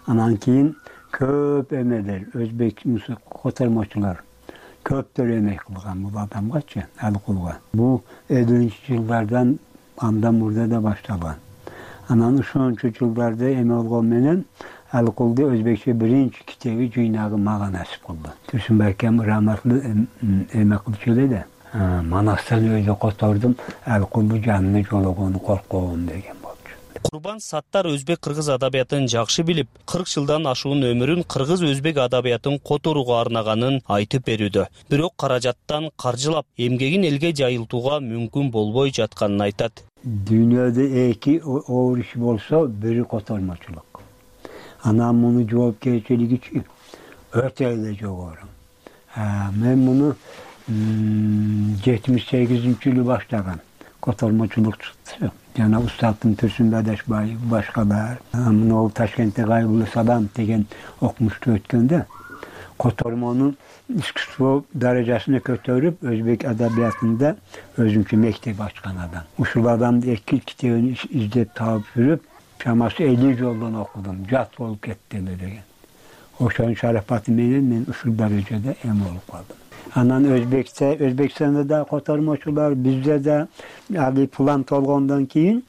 Анан кийин көп эмелер, өзбек котормочулар көптөр эмек кылган бул адамгачы, Алыкулга. Бул 50-жылдардан андан мурда да башталган. Анан ошончу жылдарда эме болгон менен Алыкулду өзбекче биринчи китеби жыйнагы мага насип кылды. Турсунбайкем раматлуу эме кылчу эле да. Манастырды өзү котордум, Алыкулду жанына жологону коркобун деген болчу. Курбан Саттар өзбек кыргыз адабиятын жакшы билип, 40 жылдан ашуун өмүрүн кыргыз өзбек адабиятын которууга арнаганын айтып берүүдө. Бирок каражаттан каржылап, эмгегин элге жайылтууга мүмкүн болбой жатканын айтат. Дүйнөдө эки оор иш болсо, бири котормочулук. Анан муну жоопкерчилиги өтө эле жогору. Мен муну 78-жылы баштагам. Котормочулук чыкты. Жана Устаттын Турсун Адашбаев, башкалар. Мына Ташкентте Кайгылуу Садам деген окумушту өткөндө котормонун искусство даражасына көтөрүп, өзбек адабиятында өзүнчө мектеп ачкан адам. Ушул адамды эки китебин издеп таап жүрүп, чамасы 50 жолдон окудум, жат болуп кетти эле деген. Ошонун шарапаты менен мен ушул даражада эм болуп калдым. Анан Өзбекстанда да котормочулар, бизде да али план толгондон кийин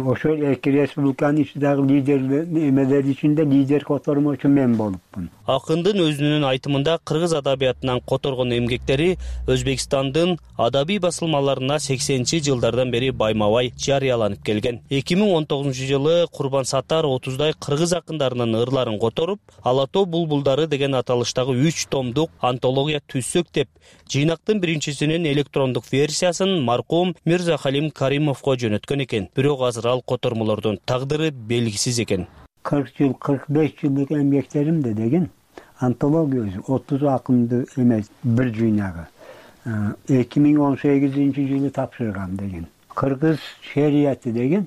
ошол эки республиканын ичиндеги лидерлер ичинде лидер котормочу мен болупмун. Акындын өзүнүн айтымында кыргыз адабиятынан которгон эмгектери Өзбекстандын адабий басылмаларына 80-жылдардан бери байма-бай жарыяланып келген. 2019-жылы Курбан Саттар 30дай кыргыз акындарынын ырларын которуп, Алато булбулдары деген аталыштагы 3 томдук антология түзсөк деп, жыйнактын биринчисинин электрондук версиясын маркум Мирзахалим Каримовго жөнөткөн экен. Бирок азыр ал котормолордун тагдыры белгисиз экен. 40 жыл, 45 жылдык эмгектеримде деген антология 30 акынды эмес, бир жыйнагы. 2018-жылы тапшыргам деген. Кыргыз шерияты деген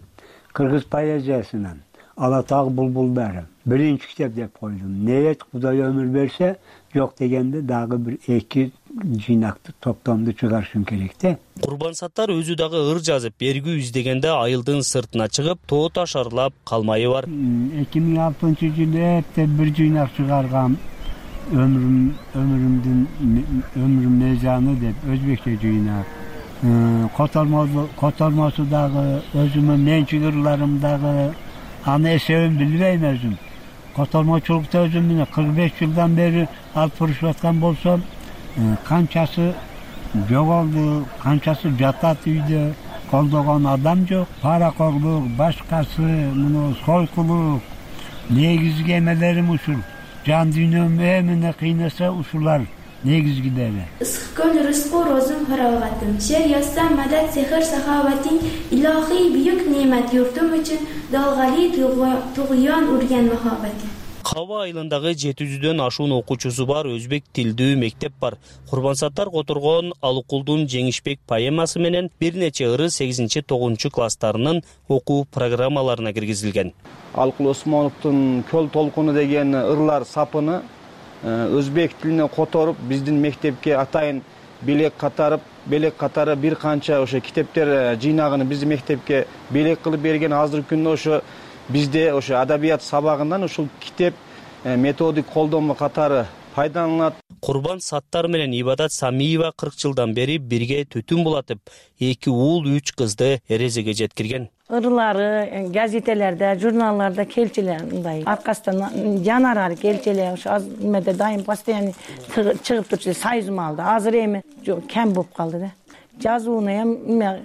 кыргыз поэзиясынан Алатаг булбулдары биринчи китеп деп койдум. Ниет Кудай өмүр берсе, жок дегенде дагы бир эки жыйнакты топтомду чыгарышым керек да. Курбан Саттар өзү дагы ыр жазып, бергүү издегенде айылдын сыртына чыгып, тоо таш аралап калмайы бар. 2006-жылы бир жыйнак чыгаргам. Өмүрүм мезаны деп өзбекче жыйнак. Котормосу дагы өзүмдүн менчик ырларым дагы аны эсебин билбейм өзүм. Котормочулукта өзүм менен 45 жылдан бери алып барышып аткан болсом, канчасы жоголду, канчасы жатат үйдө, колдогон адам жок. Паракорлук, башкасы, муну сойкулук, негизги эмелерим ушул. Жан дүйнөм эмне кыйнаса ушулар негизгилери. Ысык көл рызкы розум фараватым. Шер яссам мадат сехр сахаватин, илахи büyük nimet yurtum için dalgali tuğyan urgen muhabbeti. Каба айылындагы 700дөн ашуун окуучусу бар өзбек тилдүү мектеп бар. Курбан Саттар которгон Алыкулдун Жеңишбек поэмасы менен бир нече ыры 8-9 класстарынын окуу программаларына киргизилген. Алыкул Осмоновдун Көл толкуну деген ырлар сапыны өзбек тилине которуп, биздин мектепке атайын белек катары бир канча ошо китептер жыйнагын биздин мектепке белек кылып берген. Азыркы күндө ошо бизде ошо адабият сабагынан ушул китеп методик колдомо катары пайдаланылат. Курбан Саттар менен Ибадат Самиева 40 жылдан бери бирге түтүн булатып, 2 уул 3 кызды эрезеге жеткирген. Ырлары газетелерде, журналларда келчилер, мындай аркасынан жанарар келчилер, ошо азыр дайым постоянно чыгып турчу союзум алды. Азыр эми кем болуп калды да. Жазууну эми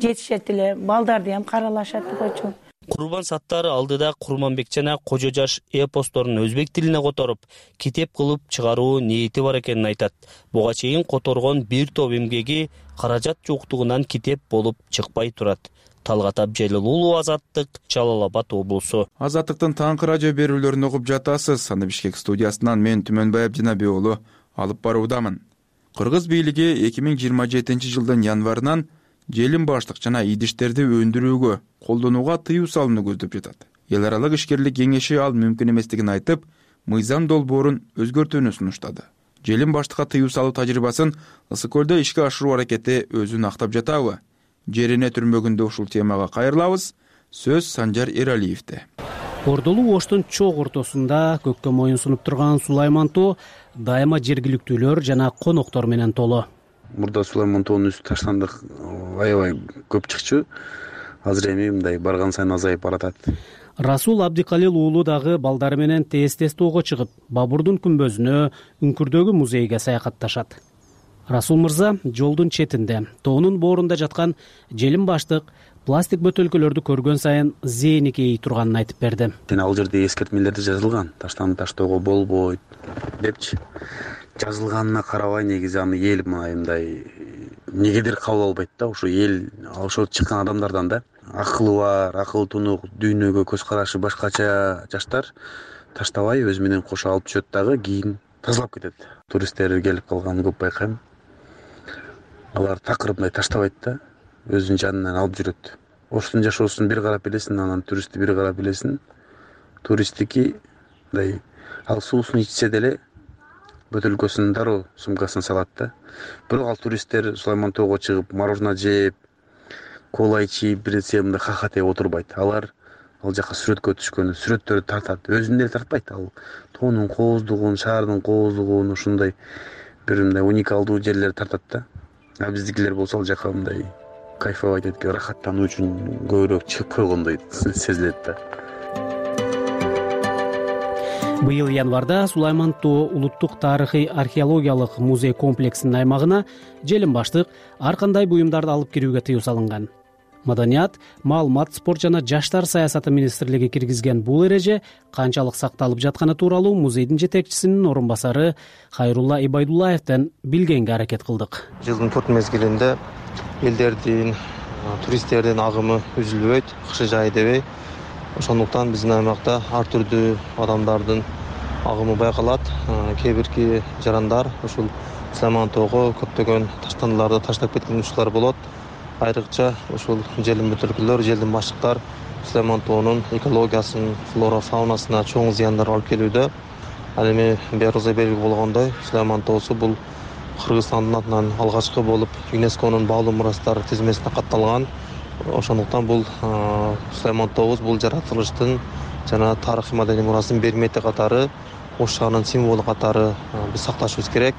жетишет эле, балдарды эми каралашат койчу. Курбан Саттар алдыда Курманбек жана Кожо жаш эпосторун өзбек тилине которуп, китеп кылып чыгаруу ниети бар экенин айтат. Буга чейин которгон бир топ эмгеги каражат жоктугунан китеп болуп чыкпай турат. Талгат Абжелил, Азаттык, Жалал Абад облусу. Азаттыктын таңкы радио берүүлөрүн угуп жатасыз. Аны Бишкек студиясынан мен Түмөнбай Абдинабек уулу алып баруудамын. Кыргыз бийлиги 2027-жылдын январынан желим баштык жана идиштерди өндүрүүгө, колдонууга тыюу салууну көздөп жатат. Эл аралык ишкерлик кеңеши ал мүмкүн эместигин айтып, мыйзам долбоорун өзгөртүүнү сунуштады. Желим баштыкка тыюу салуу тажрыйбасын Ысык көлдө ишке ашыруу аракети өзүн актап жатабы? Жерине түрмөгүндө ушул темага кайрылабыз. Сөз Санжар Эралиевде. Ордолуу Оштун чок ортосунда көккө моюн сунуп турган Сулайман тоо дайыма жергиликтүүлөр жана коноктор менен толуу. Мурда Сулайман тоонун үстү таштандык аябай көп чыкчу. Азыр эми мындай барган сайын азайып баратат. Расул Абдикалил уулу дагы балдары менен тез тоого чыгып, Бабурдун күмбөзүнө, Үңкүрдөгү музейге саякатташат. Расул мырза жолдун четинде тоонун боорунда жаткан желим баштык пластик бөтөлкөлөрдү көргөн сайын зээни кейий турганын айтып берди. Ал жерде эскертмелерде жазылган, таштанды таштоого болбойт депчи. Жазылганына карабай негизи аны эл мындай негедир кабыл албайт да, ошо эл ошо чыккан адамдардан да. Акылы бар, акыл тунук, дүйнөгө көз карашы башкача жаштар таштабай өзү менен кошо алып түшөт дагы кийин тазалап кетет. Туристтер келип калганын көп байкайм. Алар такыр мындай таштабайт да, өзүнүн жанынан алып жүрөт. Оштун жашоосун бир карап билесиң, анан туристти бир карап билесиң. Туристтики мындай ал суусун ичсе деле бөтөлкөсүн дароо сумкасына салат да. Бирок ал туристтер Сулайман тоого чыгып мороженое жеп, кола ичип, бир нерсе мындай хахатеп отурбайт. Алар ал жака сүрөткө түшкөн, сүрөттөрдү тартат. Өзүн деле тартпайт. Ал тоонун кооздугун, шаардын кооздугун, ушундай бир мындай уникалдуу жерлерди тартат да. А биздикилер болсо ал жака мындай кайфовать этип, рахаттануу үчүн көбүрөөк чыгып койгондой сезилет да. Быйыл январда Сулайман тоо улуттук тарыхый археологиялык музей комплексинин аймагына желим баштык ар кандай буюмдарды алып кирүүгө тыюу салынган. Маданият, маалымат, спорт жана жаштар саясаты министрлиги киргизген бул эреже канчалык сакталып жатканы тууралуу музейдин жетекчисинин орун басары Хайрулла Ибайдуллаевден билгенге аракет кылдык. Жылдын 4 мезгилинде элдердин, туристтердин агымы үзүлбөйт, кышы жай дебей. Ошондуктан биздин аймакта ар түрдүү адамдардын агымы байкалат. Кээ бирки жарандар ушул Сулайман тоого көптөгөн таштандыларды таштап кеткен учурлар болот. Айрыкча ушул желим бөтөлкөлөр, желдин баштыктар Сулайман тоонун экологиясын, флора фаунасына чоң зыяндар алып келүүдө. Ал эми баарыбызга белгилүү болгондой, Сулайман тоосу бул Кыргызстандын атынан алгачкы болуп ЮНЕСКОнун баалуу мурастар тизмесине катталган. Ошондуктан бул Сулайман тообуз бул жаратылыштын жана тарыхый маданий мурасынын бермети катары, Ош шаарынын символу катары биз сакташыбыз керек.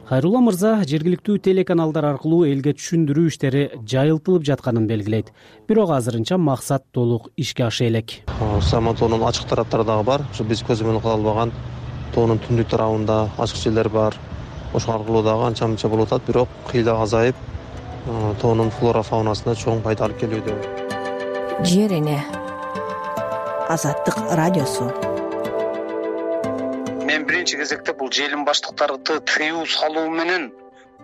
Хайрулла мырза жергиликтүү телеканалдар аркылуу элге түшүндүрүү иштери жайылтылып жатканын белгилейт. Бирок азырынча максат толук ишке аша элек. Сулайман тоонун ачык тараптары дагы бар. Ушу биз көз менен кыла албаган тоонун түндүк тарабында ачык жерлер бар. Ошол аркылуу дагы анча мынча болуп атат, бирок кыйла азайып, тоонун флора фаунасына чоң пайда алып келүүдө. Жер эне. Азаттык радиосу. Мен биринчи кезекте бул желим баштыктарды тыюу салуу менен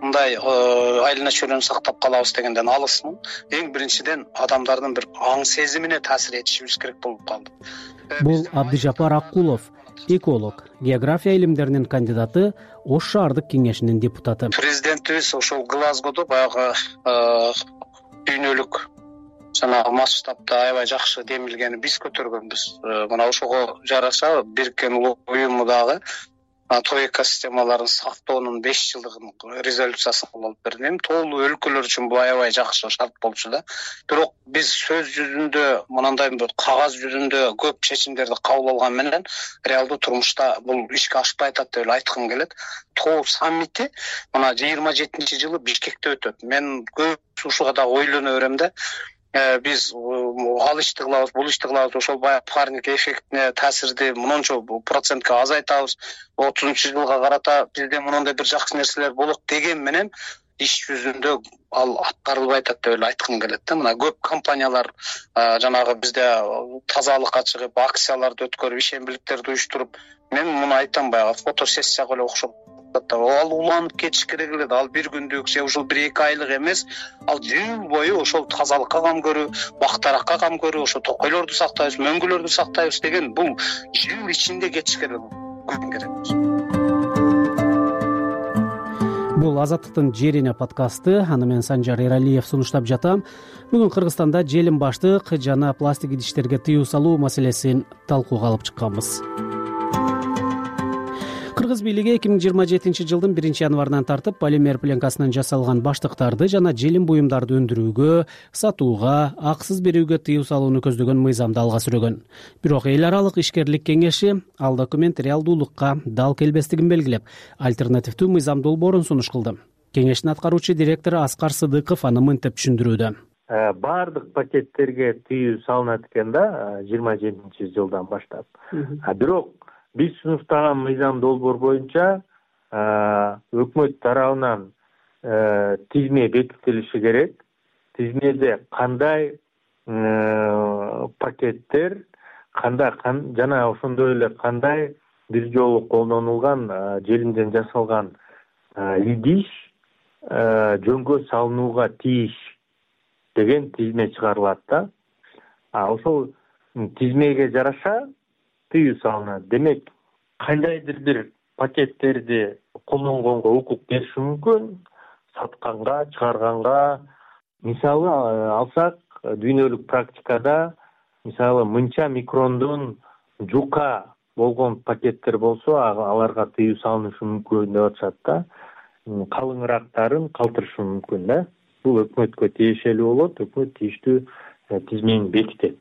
мындай айлана чөйрөнү сактап калабыз дегенден алысмын. Эң биринчиден адамдардын бир аң сезимине таасир этишибиз керек болуп калды. Бул Абдыжапар Акулов, эколог, география илимдеринин кандидаты, Ош шаардык кеңешинин депутаты. Президентибиз ошол Глазгодо баягы дүйнөлүк жана масштабда аябай жакшы демилгени биз көтөргөнбүз. Мына ошого жараша Бириккен Улуттар уюму дагы тоо экосистемаларын сактоонун 5 жылдыгын резолюциясын алып берди. Эми тоолуу өлкөлөр үчүн бул аябай жакшы шарт болчу да. Бирок биз сөз жүзүндө мындай бир кагаз жүзүндө көп чечимдерди кабыл алган менен реалдуу турмушта бул ишке ашпай атат деп айткым келет. Тоо саммити мына 27-жылы Бишкекте өтөт. Мен көп ушуга да ойлоно берем да. Биз ал ишти кылабыз, бул ишти кылабыз, ошол баягы парник эффектине таасирди мынча процентке азайтабыз. 30-жылга карата бизде мындай бир жакшы нерселер болот деген менен иш жүзүндө ал аткарылбай атат деп айткым келет да. Мына көп компаниялар жанагы бизде тазалыкка чыгып, акцияларды өткөрүп, ишембиликтерди уюштуруп, мен муну айтам, баягы фотосессияга эле окшоп ал уланып кетиш керек эле. Ал бир күндүк же ушул 1-2 айлык эмес, ал жыл бою ошол тазалыкка кам көрүү, бактаракка кам көрүү, ошо токойлорду сактайбыз, мөңгүлөрдү сактайбыз деген бул жыл ичинде кетиш керек. Бул Азаттыктын Жерине подкасты. Аны мен Санжар Эралиев сунуштап жатам. Бүгүн Кыргызстанда желим баштык жана пластик идиштерге тыюу салуу маселесин талкууга алып чыкканбыз. Кыргыз бийлиги 2027-жылдын 1-январынан тартып полимер пленкасынан жасалган баштыктарды жана желим буюмдарды өндүрүүгө, сатууга, аксыз берүүгө тыюу салууну көздөгөн мыйзамды алга сүрөгөн. Бирок эл аралык ишкерлик кеңеши ал документ реалдуулукка дал келбестигин белгилеп, альтернативдүү мыйзам долбоорун сунуш кылды. Кеңештин аткаруучу директору Аскар Сыдыков аны мынтип түшүндүрүүдө. Бардык пакеттерге тыюу салынат экен да 27-жылдан баштап. Бирок биз сунуштаган мыйзам долбоор боюнча өкмөт тарабынан тизме бекитилиши керек. Тизмеде кандай пакеттер, жана ошондой эле кандай бир жолу колдонулган желимден жасалган идиш жөнгө салынууга тийиш деген тизме чыгарылат да. Ошол тизмеге жараша тыюу салынат. Демек, кандайдыр бир пакеттерди колдонгонго укук бериши мүмкүн, сатканга, чыгарганга. Мисалы алсак, дүйнөлүк практикада мисалы мынча микрондон жука болгон пакеттер болсо, аларга тыюу салынышы мүмкүн деп атышат да. Калыңыраактарын калтырышы мүмкүн да. Бул өкмөткө тиешелүү болот, өкмөт тийиштүү тизмени бекитет.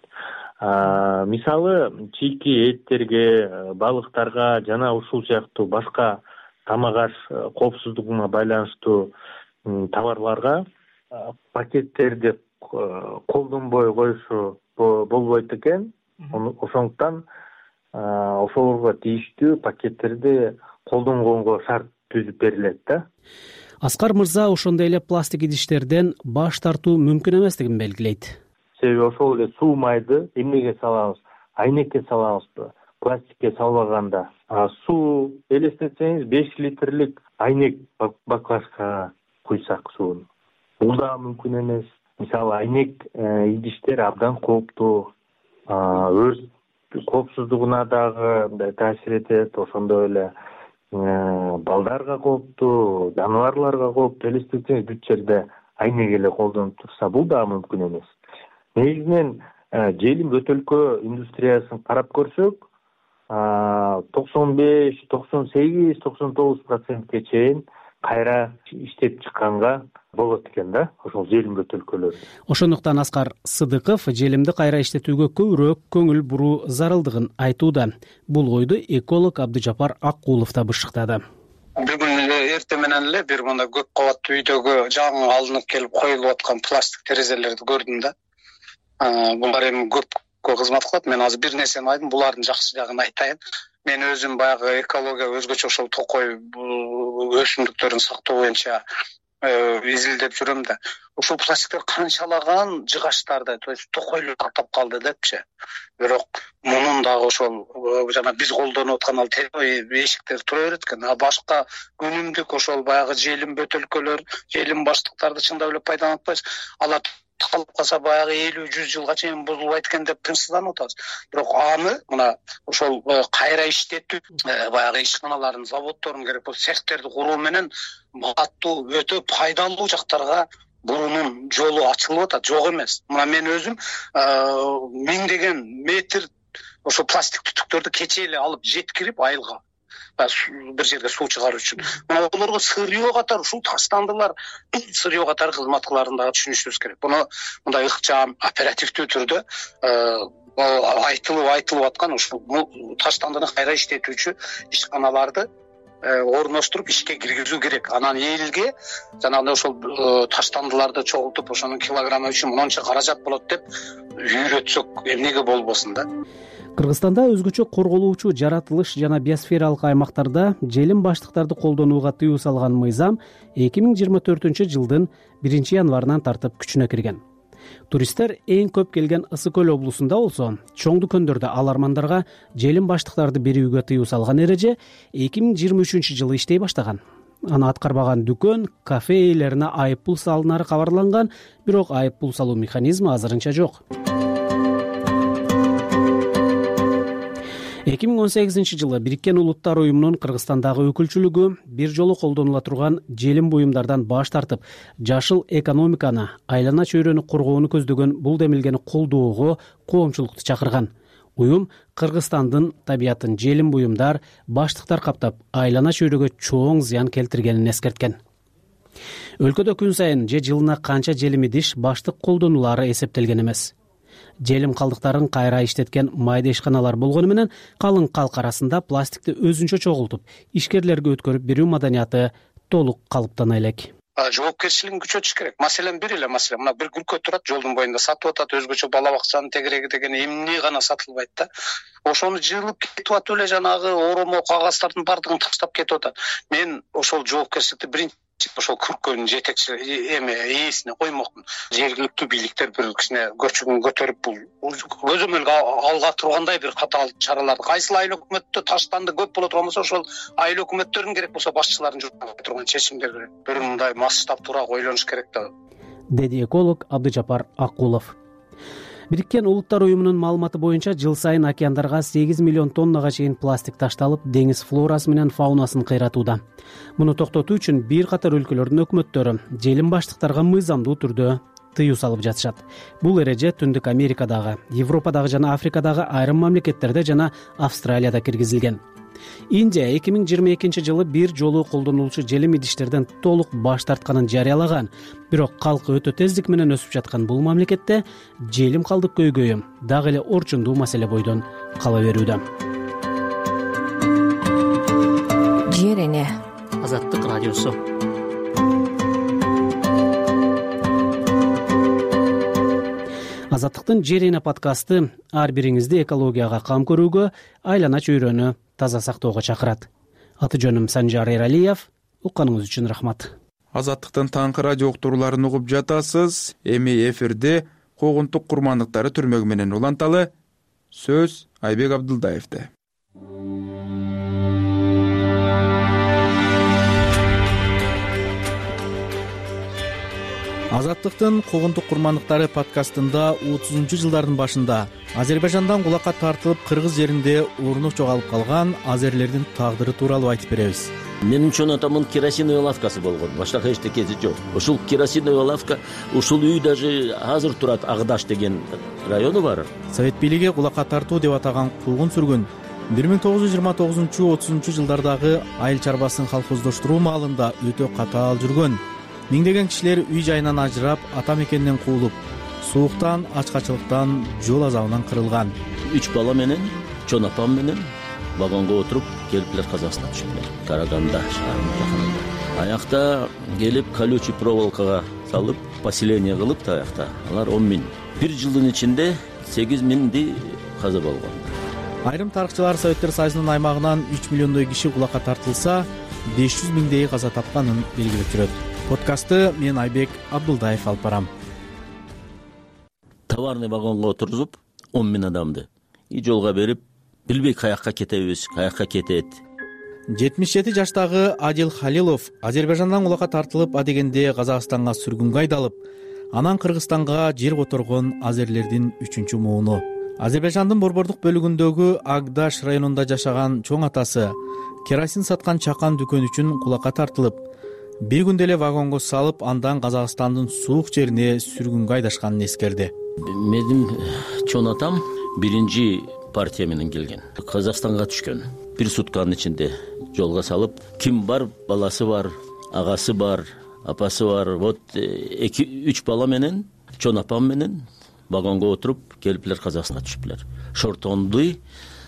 Мисалы чийки эттерге, балыктарга жана ушул сыяктуу башка тамак аш коопсуздугуна байланыштуу товарларга пакеттерди колдонбой коюшу болбойт экен. Ошондуктан ошолорго тийиштүү пакеттерди колдонгонго шарт түзүп берилет да. Аскар мырза ошондой эле пластик идиштерден баш тартуу мүмкүн эместигин белгилейт. Себеби ошол эле суу майды эмнеге салабыз? Айнекке салабызбы? Пластикке салбаганда. Суу элестетсеңиз 5 литрлик айнек баклажкага куйсак суун. Бул да мүмкүн эмес. Мисалы айнек идиштер абдан кооптуу. Өрт коопсуздугуна дагы таасир этет, ошондой эле балдарга кооптуу, жаныбарларга кооптуу. Элестетсеңиз бүт жерде айнек эле колдонуп турса, бул да мүмкүн эмес. Негизинен желим бөтөлкө индустриясын карап көрсөк, 95, 98, 99%ке чейин кайра иштеп чыкканга болот экен да, ошол желим бөтөлкөлөр. Ошондуктан Аскар Сыдыков желимди кайра иштетүүгө көбүрөөк көңүл буруу зарылдыгын айтууда. Бул ойду эколог Абдыжапар Аккулов да бышыктады. Бүгүн эртең менен эле бир мындай көп кабаттуу үйдөгү жаңы алынып келип коюлуп аткан пластик терезелерди көрдүм да. Булар эми көпкө кызмат кылат. Мен азыр бир нерсени айттым, булардын жакшы жагын айтайын. Мен өзүм баягы экология өзгөчө ошол токой өсүмдүктөрүн сактоо боюнча изилдеп жүрөм да. Ушул пластиктер канчалаган жыгачтарды, то есть токойлор каттап калды депчи. Бирок мунун дагы ошол жана биз колдонуп аткан ал эшиктер тура берет экен. Башка өнүмдүк ошол баягы желим бөтөлкөлөр, желим баштыктарды чындап эле пайдаланып атпайбыз. Алар калып калса баягы 50-100 жылга чейин бузулбайт экен деп тынчсызданып атабыз. Бирок аны мына ошол кайра иштетүү, баягы ишканаларын, заводдорун керек болсо цехтерди куруу менен баттуу өтө пайдалуу жактарга бурунун жолу ачылып атат, жок эмес. Мына мен өзүм миңдеген метр ошо пластик түтүктөрдү кечээ эле алып жеткирип айылга бир жерге суу чыгаруу үчүн. Мына олорго сырьё катары ушул таштандылар, сырьё катары кызмат кыларын дагы түшүнүшүбүз керек. Буну мындай ыкчам, оперативдүү түрдө айтылып аткан ушул таштандыны кайра иштетүүчү ишканаларды орноштуруп ишке киргизүү керек. Анан элге жанагындай ошол таштандыларды чогултуп, ошонун килограммы үчүн монча каражат болот деп үйрөтсөк эмнеге болбосун да. Кыргызстанда өзгөчө корголуучу жаратылыш жана биосфералык аймактарда желим баштыктарды колдонууга тыюу салган мыйзам 2024-жылдын 1-январынан тартып күчүнө кирген. Туристтер эң көп келген Ысык көл облусунда болсо, чоң дүкөндөрдө алармандарга желим баштыктарды берүүгө тыюу салган эреже 2023-жылы иштей баштаган. Аны аткарбаган дүкөн, кафе ээлерине айыппул салынары кабарланган, бирок айыппул салуу механизми азырынча жок. 2018-жылы Бириккен Улуттар уюмунун Кыргызстандагы өкүлчүлүгү бир жолу колдонула турган желим буюмдардан баш тартып, жашыл экономиканы, айлана чөйрөнү коргоону көздөгөн бул демилгени колдоого коомчулукту чакырган. Уюм Кыргызстандын табиятын желим буюмдар, баштыктар каптап, айлана чөйрөгө чоң зыян келтиргенин эскерткен. Өлкөдө күн сайын же жылына канча желим идиш, баштык колдонулары эсептелген эмес. Желим калдыктарын кайра иштеткен майда ишканалар болгону менен калың калк арасында пластикти өзүнчө чогултуп, ишкерлерге өткөрүп берүү маданияты толук калыптана элек. Жоопкерчилигин күчөтүш керек. Маселен бир эле маселе. Мына бир күркө турат, жолдун боюнда сатып атат, өзгөчө бала бакчанын тегереги деген эмне гана сатылбайт да. Ошону жыылып кетип атып эле жанагы оромо кагаздардын бардыгын таштап кетип атат. Мен ошол жоопкерчиликти биринчи ошол күркөнүн жетекчи ээсине коймокмун. Жергиликтүү бийликтер бир кичине көчүгүн көтөрүп бул көзөмөлгө алга тургандай бир катаал чараларды, кайсыл айыл өкмөттө таштанды көп боло турган болсо ошол айыл өкмөттөрүн керек болсо башчыларын жүргүзө турган чечимдер бир мындай масштабтуураак ойлонуш керек да, деди эколог Абдыжапар Акулов. Бириккен Улуттар уюмунун маалыматы боюнча жыл сайын океандарга 8 миллион тоннага чейин пластик ташталып, деңиз флорасы менен фаунасын кыйратууда. Муну токтотуу үчүн бир катар өлкөлөрдүн өкмөттөрү желим баштыктарга мыйзамдуу түрдө тыюу салып жатышат. Бул эреже Түндүк Америкадагы, Европадагы жана Африкадагы айрым мамлекеттерде жана Австралияда киргизилген. Индия 2022 жылы бир жолу колдонулуучу желим идиштерден толук баш тартканын жарыялаган. Бирок калкы өтө тездик менен өсүп жаткан бул мамлекетте желим калдык көйгөйү дагы эле орчундуу маселе бойдон кала берүүдө. Жер эне. Азаттык радиосу. Азаттыктын Жер эне подкасты ар бириңизди экологияга кам көрүүгө, айлана чөйрөнү таза сактоого чакырат. Аты жөнүм Санжар Эралиев. Укканыңыз үчүн рахмат. Азаттыктын таңкы радио уктурууларын угуп жатасыз. Эми эфирде когунтук курмандыктары түрмөгү менен уланталы. Сөз Айбек Абдылдаевде. Азаттыктын когунтук курмандыктары подкастында 30-жылдардын башында Азербайжандан кулакка тартылып кыргыз жеринде орну жоголуп калган азерлердин тагдыры тууралуу айтып беребиз. Менин чоң атамдын керосиновый лавкасы болгон. Башка эчтекеси жок. Ушул керосиновый лавка, ушул үй даже азыр турат, Агдаш деген району бар. Совет бийлиги кулакка тартуу деп атаган куугун сүргүн 1929-30 жылдардагы айыл чарбасын колхоздоштуруу маалында өтө катаал жүргөн. Миңдеген кишилер үй жайынан ажырап, ата мекенинен куулуп, сууктан, ачкачылыктан, жол азабынан кырылган. 3 бала менен, чоң апам менен вагонго отуруп келиплер Казакстанга түшүптүр. Караганда шаарынын жакынында. Аякта келип колючий проволокага салып, поселение кылып да аякта. Алар 10 миң. Бир жылдын ичинде 8 миңди каза болгон. Айрым тарыхчылар Советтер Союзунун аймагынан 3 миллиондой киши кулакка тартылса, 500 миңдей каза тапканын белгилеп жүрөт. Подкастты мен Айбек Абдылдаев алып барам. Товарный вагонго отургузуп 10 миң адамды и жолго берип, билбей каякка кетебиз, каякка кетет. 77 жаштагы Адил Халилов Азербайжандан кулакка тартылып, адегенде Казакстанга сүргүнгө айдалып, анан Кыргызстанга жер которгон азерлердин 3-чү мууну. Азербайжандын борбордук бөлүгүндөгү Агдаш районунда жашаган чоң атасы керосин саткан чакан дүкөн үчүн кулакка тартылып, бир күндө эле вагонго салып, андан Казакстандын суук жерине сүргүнгө айдашканын эскерди. Менин чоң атам биринчи партия менен келген. Казакстанга түшкөн. Бир сутканын ичинде жолго салып, ким бар, баласы бар, агасы бар, апасы бар. Вот 2-3 бала менен, чоң апам менен вагонго отуруп келиплер Казакстанга түшүптүр. Шортонды,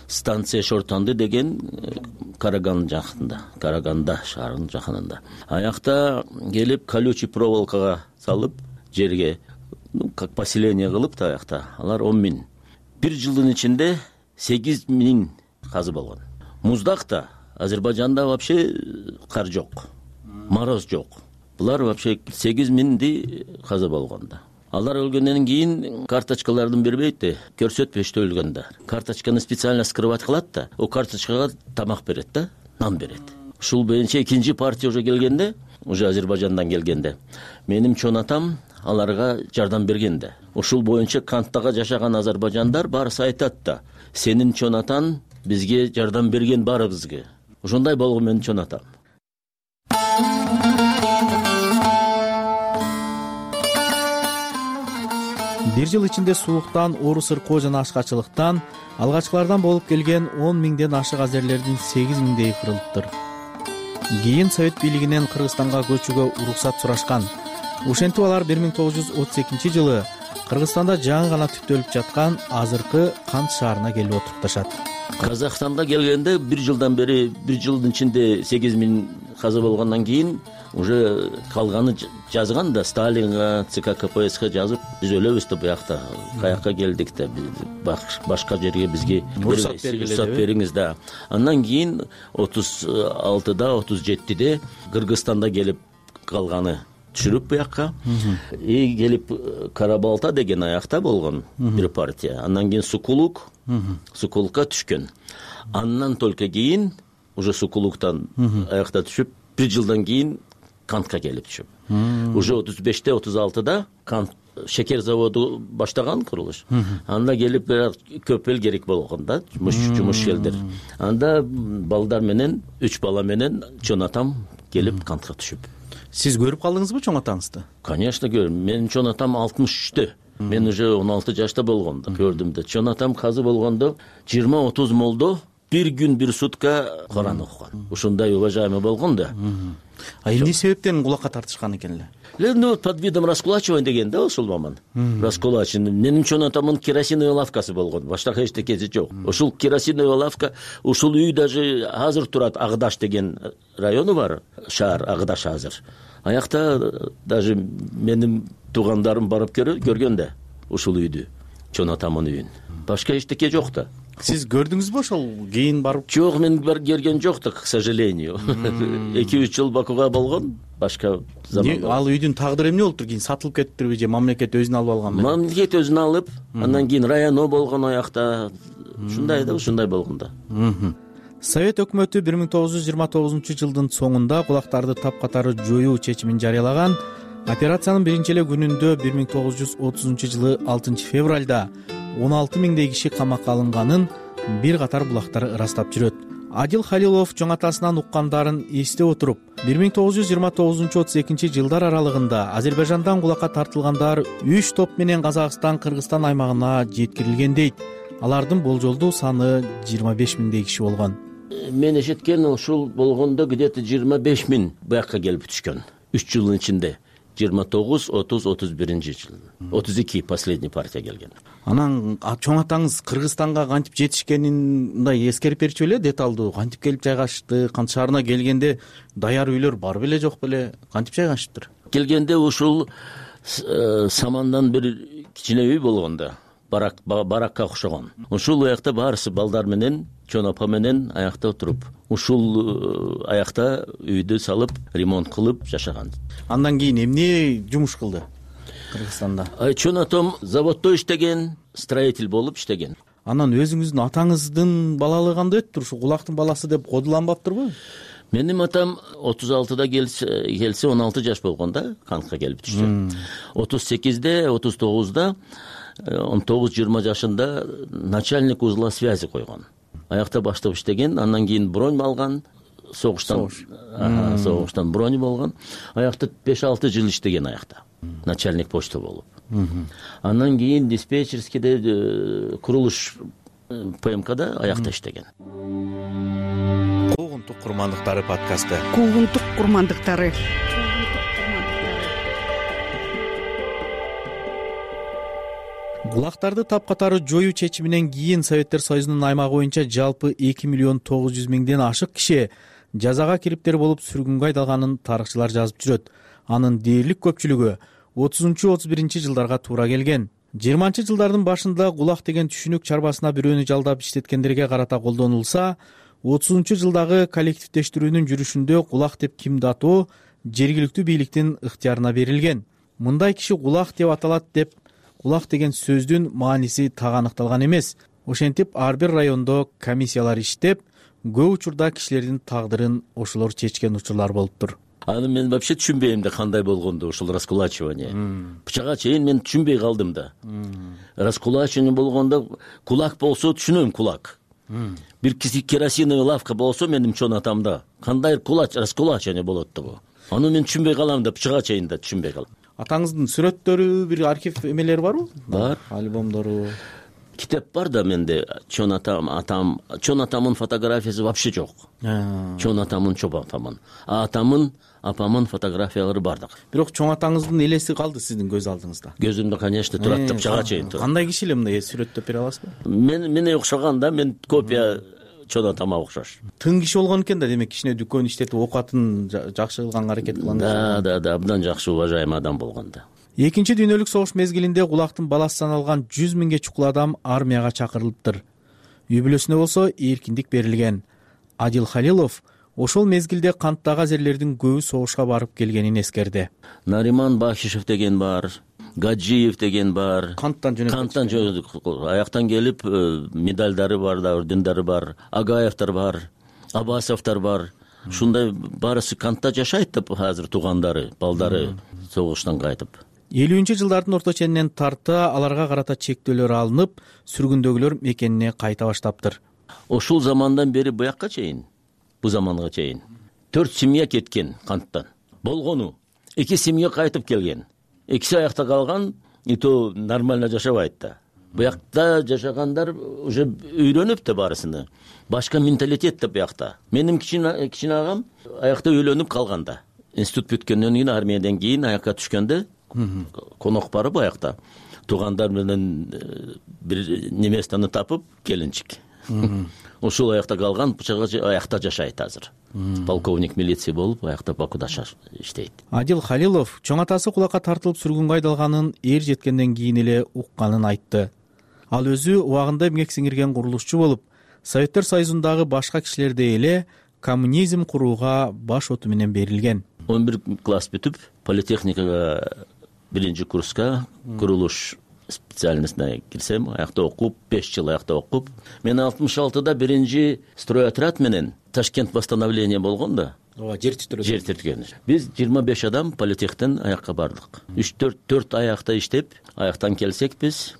станция Шортонды деген Караган жакында, Караганда шаарынын жакынында. Аякта келип колючий проволокага салып, жерге как поселение кылып да аякта. Алар 10 миң. Бир жылдын ичинде 8 миң казы болгон. Муздакта Азербайжанда вообще кар жок, мороз жок. Булар вообще 8 миңди каза болгонда. Алар өлгөндөн кийин карточкалардын бербейт да, көрсөтпөштө өлгөндө. Карточканы специально скрывать кылат да, о карточкага тамак берет да, нан берет. Ушул боюнча экинчи партия уже келгенде, уже Азербайжандан келгенде, менин чоң атам аларга жардам берген да. Ушул боюнча канттага жашаган азербайжандар баарысы айтат да, сенин чоң атаң бизге жардам берген баарыбызга. Ошондой болгон менин чоң атам. Бир жыл ичинде сууктан, оору сыркоо жана ачкачылыктан алгачкылардан болуп келген 10 миңден ашык азерлердин 8 миңдей кырылыптыр. Кийин Совет бийлигинен Кыргызстанга көчүүгө уруксат сурашкан. Ошентип алар 1932 жылы Кыргызстанда жаңы гана түптөлүп жаткан азыркы Кант шаарына келип отурупташат. Казакстанга келгенде бир жылдан бери, бир жылдын ичинде 8 миң каза болгондон кийин уже калганы жазган да, Сталинга, ЦК КПСС жазып, биз өлөбүз да буякта, каякка келдик да, башка жерге бизге уруксат бериңиз да. Андан кийин 36-да, 37-де Кыргызстанда келип калганы түшүрүп буякка и келип Карабалта деген аякта болгон бир партия, андан кийин Сукулукка түшкөн. Андан только кийин уже Сукулуктан аякта түшүп, бир жылдан кийин Кантка келип түшүп. Уже 35-те 36-да Кант шекер заводу баштаган курулуш. Анда келип көп эл керек болгон да, жумуш элдер. Анда балдар менен, 3 бала менен чоң атам келип Кантка түшүп. Сиз көрүп калдыңызбы чоң атаңызды? Конечно көрдүм. Менин чоң атам 63-тө. Мен уже 16 жашта болгондо көрдүм да. Чоң атам казы болгондо 20-30 молдо бир күн бир сутка Куран окуган. Ушундай уважаемый болгон да. А эмне себептен кулакка тартышкан экен эле? Ну, под видом раскулачивания деген да, ушул маман. Раскулачивание. Менин чоң атамдын керосиновый лавкасы болгон. Башка эчтекеси жок. Ушул керосиновый лавка, ушул үй даже азыр турат, Агдаш деген району бар, шаар Агдаш азыр. Аякта даже менин туугандарым барып көргөн да ушул үйдү, чоң атамдын үйүн. Башка эчтеке жок да. Сиз көрдүңүзбү ошол кийин барып? Жок, мен көргөн жок да, к сожалению. 2-3 жыл Бакуга болгон, башка заман. Ал үйдүн тагдыры эмне болуптур? Кийин сатылып кетиптирби же мамлекет өзүнө алып алганбы? Мамлекет өзүнө алып, андан кийин районо болгон аякта. Ушундай да, ушундай болгон да. Совет өкмөтү 1929-жылдын соңунда кулактарды тапкатары жоюу чечимин жарыялаган. Операциянын биринчи эле күнүндө 1930-жылы 6 февралда 16 миңдей киши камакка алынганын бир катар булактар ырастап жүрөт. Адил Халилов чоң атасынан уккандарын эстеп отуруп, 1929-32 жылдар аралыгында Азербайжандан кулакка тартылгандар 3 топ менен Казакстан, Кыргызстан аймагына жеткирилген дейт. Алардын болжолдуу саны 25 миңдей киши болгон. Мен эшиткен ушул болгондо где-то 25 миң буякка келип түшкөн. 3 жылдын ичинде 29, 30, 31 жыл. 32 последний партия келген. Анан чоң атаңыз Кыргызстанга кантип жетишкенин мындай эскерип берчү беле, деталдуу кантип келип жайгашты, кант шаарына келгенде даяр үйлөр бар беле жок беле, кантип жайгашыптыр? Келгенде ушул самандан бир кичине үй болгон да, баракка окшогон. Ушул аякта баарысы балдар менен, чоң апа менен аякта отуруп, ушул аякта үйдү салып, ремонт кылып жашаган. Андан кийин эмне жумуш кылды Кыргызстанда? Чоң атам заводдо иштеген, строитель болуп иштеген. Анан өзүңүздүн атаңыздын балалыгы кандай өттүр? Ушу кулактын баласы деп кодуланбаптырбы? Менин атам 36-да келсе 16 жаш болгондо Кантка келип түштү. 38-де, 39-да 19-20 жашында начальник узла связи койгон. Аякта баштап иштеген, андан кийин бронь алган, согуштан бронь болгон. Аякта 5-6 жыл иштеген аякта. Начальник почта болуп. Андан кийин диспетчерскийде курулуш ПМКда аякта иштеген. Куугунтук курмандыктары подкасты. Куугунтук курмандыктары. Кулактарды тапкатары жоюу чечиминен кийин Советтер Союзунун аймагы боюнча жалпы 2 миллион 900 миңден ашык киши жазага кириптер болуп сүргүнгө айдалганын тарыхчылар жазып жүрөт. Анын дээрлик көпчүлүгү 30-31 жылдарга туура келген. 20 жылдардын башында кулак деген түшүнүк чарбасына бирөөнү жалдап иштеткендерге карата колдонулса, 30 жылдагы коллективдештирүүнүн жүрүшүндө кулак деп кимди атоо жергиликтүү бийликтин ыктыярына берилген. Мындай киши кулак деп аталат деп кулак деген сөздүн мааниси так аныкталган эмес. Ошентип ар бир райондо комиссиялар иштеп, көп учурда кишилердин тагдырын ошолор чечкен учурлар болуптур. Аны мен вообще түшүнбөйм да кандай болгонду ушул раскулачивание. Бычага чейин мен түшүнбөй калдым да. Раскулачивание болгондо кулак болсо түшүнөм, кулак. Бир керосиновый лавка болсо менин чоң атамда кандай раскулачивание болот да бу. Аны мен түшүнбөй калам да, бычага чейин да түшүнбөй калам. Атаңыздын сүрөттөрү, бир архив эмелери барбы? Бар. Альбомдору. Китеп бар да менде. Чоң атамдын фотографиясы вообще жок. Чоң атамдын атамдын апамдын фотографиялары бар да. Бирок чоң атаңыздын элеси калды сиздин көз алдыңызда. Көзүмдө, конечно, турат да, бычага чейин турат. Кандай киши эле мындай сүрөттөп бере аласызбы? Мене окшогон да, мен копия чоң атама окшош. Тың киши болгон экен да, демек кичине дүкөн иштетип окуатын жакшы кылганга аракет кылган. Да, абдан жакшы уважаемый адам болгон да. Экинчи дүйнөлүк согуш мезгилинде кулактын баласы саналган 100 миңге чукул адам армияга чакырылыптыр. Үй бүлөсүнө болсо эркиндик берилген. Адил Халилов ошол мезгилде канттагы азерлердин көбү согушка барып келгенин эскерди. Нариман Бахишев деген бар, Гаджиев деген бар. Канттан аяктан келип медалдары бар да, ордендери бар. Агаевдер бар, Абасовдор бар. Ушундай барысы кантта жашайт деп азыр туугандары, балдары согуштан кайтып. 50-жылдардын орто ченинен тарта аларга карата чектөөлөр алынып, сүргүндөгүлөр мекенине кайта баштаптыр. Ошол замандан бери буякка чейин, бу заманга чейин 4 семья кеткен канттан. Болгону 2 семья кайтып келген. Экиси аякта калган, и то нормально жашабайт да. Буякта жашагандар уже үйрөнүп да барысыны. Башка менталитет да буякта. Менин кичине агам аякта үйлөнүп калганда. Институт бүткөндөн кийин, армиядан кийин аякка түшкөндө конок барып аякта туугандар менен бир неместаны тапып келинчик. Ошол аякта калган, бучага аякта жашайт азыр. Полковник милиция болуп, аякта Бакуда иштейт. Адил Халилов чоң атасы кулакка тартылып сүргүнгө айдалганын эр жеткенден кийин эле укканын айтты. Ал өзү убагында эмгек сиңирген курулушчу болуп, Советтер Союзундагы башка кишилердей эле коммунизм курууга баш оту менен берилген. 11 класс бүтүп, политехникага 1-курска курулуш специальностьна кирсем, аякта окуп, 5 жыл аякта окуп, мен 66-да 1 стройотряд менен Ташкент восстановление болгон да. Жер тирткөн. Биз 25 адам политехтен аякка бардык. 3-4 аякта иштеп, аяктан келсек биз,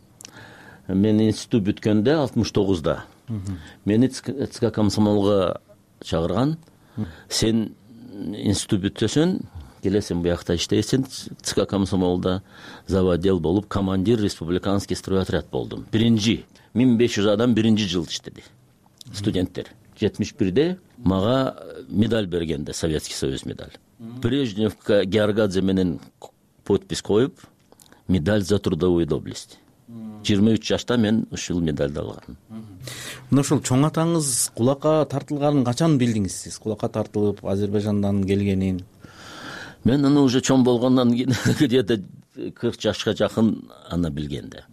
мен институт бүткөндө 69-да. Мени ЦК комсомолго чакырган. Сен институт бүтсөң, келесиң буякта иштейсиң. ЦК комсомолда заводдел болуп, командир республиканский стройотряд болдум. 1500 адам 1-жыл иштеди. Студенттер. 71-де мага медаль бергенде, Советский Союз медаль. Брежневка Георгадзе менен подпись коюп, медаль за трудовую доблесть. 23 жашта мен ушул медальды алгам. Ушул чоң атаңыз кулакка тартылганын качан билдиңиз сиз? Кулакка тартылып Азербайжандан келгенин? Мен аны уже чоң болгондон кийин где-то 40 жашка жакын аны билгенде.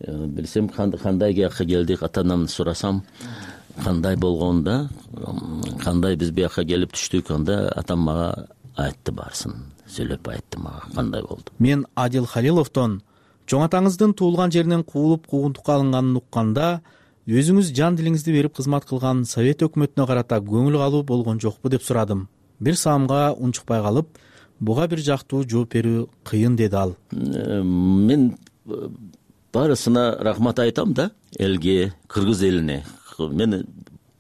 Билсем кандай жакка келдик, ата-анамды сурасам, кандай болгонда, кандай биз буякка келип түштүк, анда атам мага айтты барсын, сүйлөп айтты мага кандай болду. Мен Адил Халиловдон чоң атаңыздын туулган жеринен куулуп куугунтукка алынганын укканда, өзүңүз жан дилиңизди берип кызмат кылган Совет өкмөтүнө карата көңүл калуу болгон жокпу деп сурадым. Бир саамга унчукпай калып, буга бир жактуу жооп берүү кыйын деди ал. Мен барысына рахмат айтам да, элге, кыргыз элине. Мен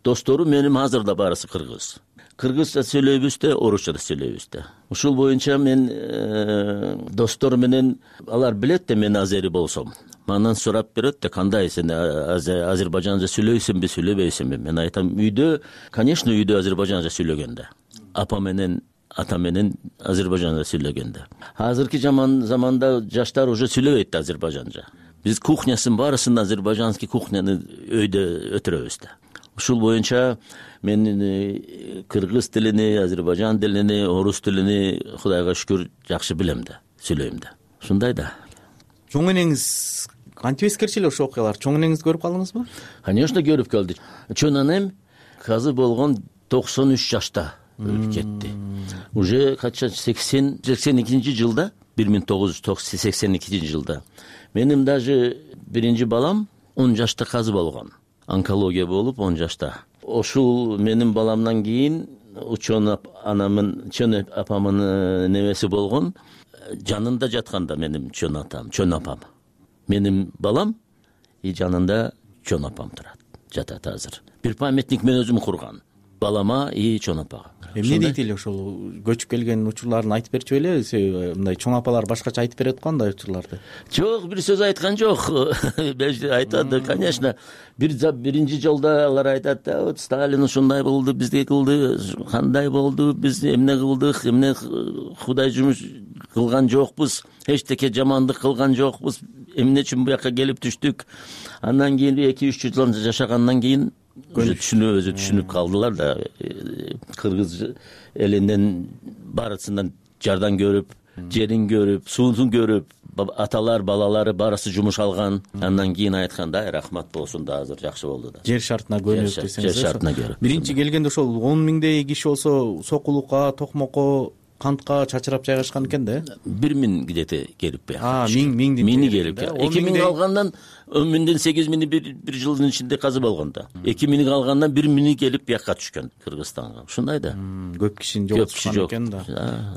достору менин азыр да барысы кыргыз. Кыргызча сүйлөйбүз да, орусча да сүйлөйбүз да. Ушул боюнча мен достор менен, алар билет да мен азери болсом. Мандан сурап берет да, кандай сен азербайжанча сүйлөйсүңбү, сүйлөбөйсүңбү? Мен айтам, үйдө, конечно, үйдө азербайжанча сүйлөгөндө. Апа менен, ата менен азербайжанча сүйлөгөндө. Азыркы заманда жаштар уже сүйлөбөйт азербайжанча. Биз кухнясын барысын азербайжанский кухняны өйдө өтүрөбүз да. Ушул боюнча мен кыргыз тилини, азербайжан тилини, орус тилини Кудайга шүкүр жакшы билем да, сүйлөйм да. Ушундай да. Чоң энеңиз кантип эскерчү эле ошол окуялар? Чоң энеңизди көрүп калдыңызбы? Конечно, көрүп калдым. Чоң энем казы болгон 93 жашта өлүп кетти. Уже 82 жылда, 1982 жылда. Менин даже 1 балам 10 жашта казы болгон. Онкология болуп 10 жашта. Ошул менин баламдан кийин чоң апамын небеси болгон, жанында жатканда менин чоң апам. Менин балам и жанында чоң апам турат, жатат азыр. Бир памятник мен өзүм курган. Балама и чоң апага. Эмне дейт эле ошол көчүп келген учурларын айтып берчү эле, мындай чоң апалар башкача айтып берет го андай учурларды. Жок, бир сөз айткан жок. Айтады, конечно. Биринчи жолдо алар айтат, вот Сталин ушундай болду, бизге кылды, кандай болду, биз эмне кылдык, эмне Кудай жумуш кылган жокпуз, эчтеке жамандык кылган жокпуз, эмне үчүн буякка келип түштүк. Андан кийин 2-3 жыл жашагандан кийин өзү түшүнүп калдылар да. Кыргыз элинен барысынан жардан көрүп, жерин көрүп, суун көрүп, аталар балалары баарысы жумуш алган. Андан кийин айтканда рахмат болсун да, азыр жакшы болду да. Жер шартына көнүп десеңиз. Жер шартына көрүп. Биринчи келгенде ошол 10 миңдей киши болсо сокулукка, токмокко, кантка чачырап жайгашкан экен да. 1 миң где-то келип бияка. Миңди келип. 2 миң алгандан 10 миңден 8 миңи бир жылдын ичинде казып алган да. 2 миң алгандан 1 миңи келип бияка түшкөн Кыргызстанга. Ушундай да. Көп кишини жоготкон экен да.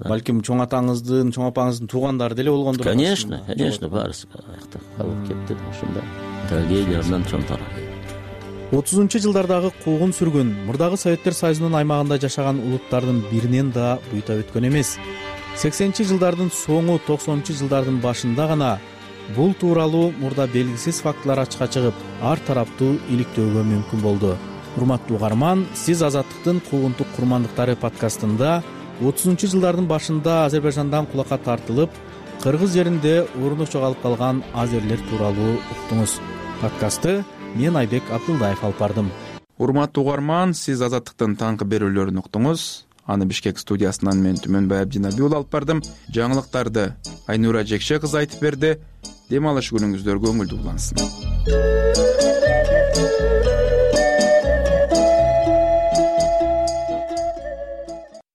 Балким чоң атаңыздын, чоң апаңыздын туугандары деле болгондур. Конечно, баарысы аякта калып кетти да. Ушундай трагедиядан чоң тарап. 30-жылдардагы куугун сүргүн мурдагы Советтер Союзунун аймагында жашаган улуттардын биринен да буйта өткөн эмес. 80-жылдардын соңу, 90-жылдардын башында гана бул тууралуу мурда белгисиз фактылар ачыкка чыгып, ар тараптуу иликтөөгө мүмкүн болду. Урматтуу угарман, сиз Азаттыктын Куугунтук курмандыктары подкастында 30-жылдардын башында Азербайжандан кулакка тартылып, кыргыз жеринде орнук жоголуп калган азерлер тууралуу уктуңуз. Подкастты мен Айбек Абдулдаев алып бардым. Урматтуу угарман, сиз Азаттыктын таңкы берүүлөрүн уктуңуз. Аны Бишкек студиясынан мен Түмөнбай Абдинаби уулу алып бардым. Жаңылыктарды Айнура Жекше кызы айтып берди. Дем алыш күнүңүздөр көңүлдүү улансын.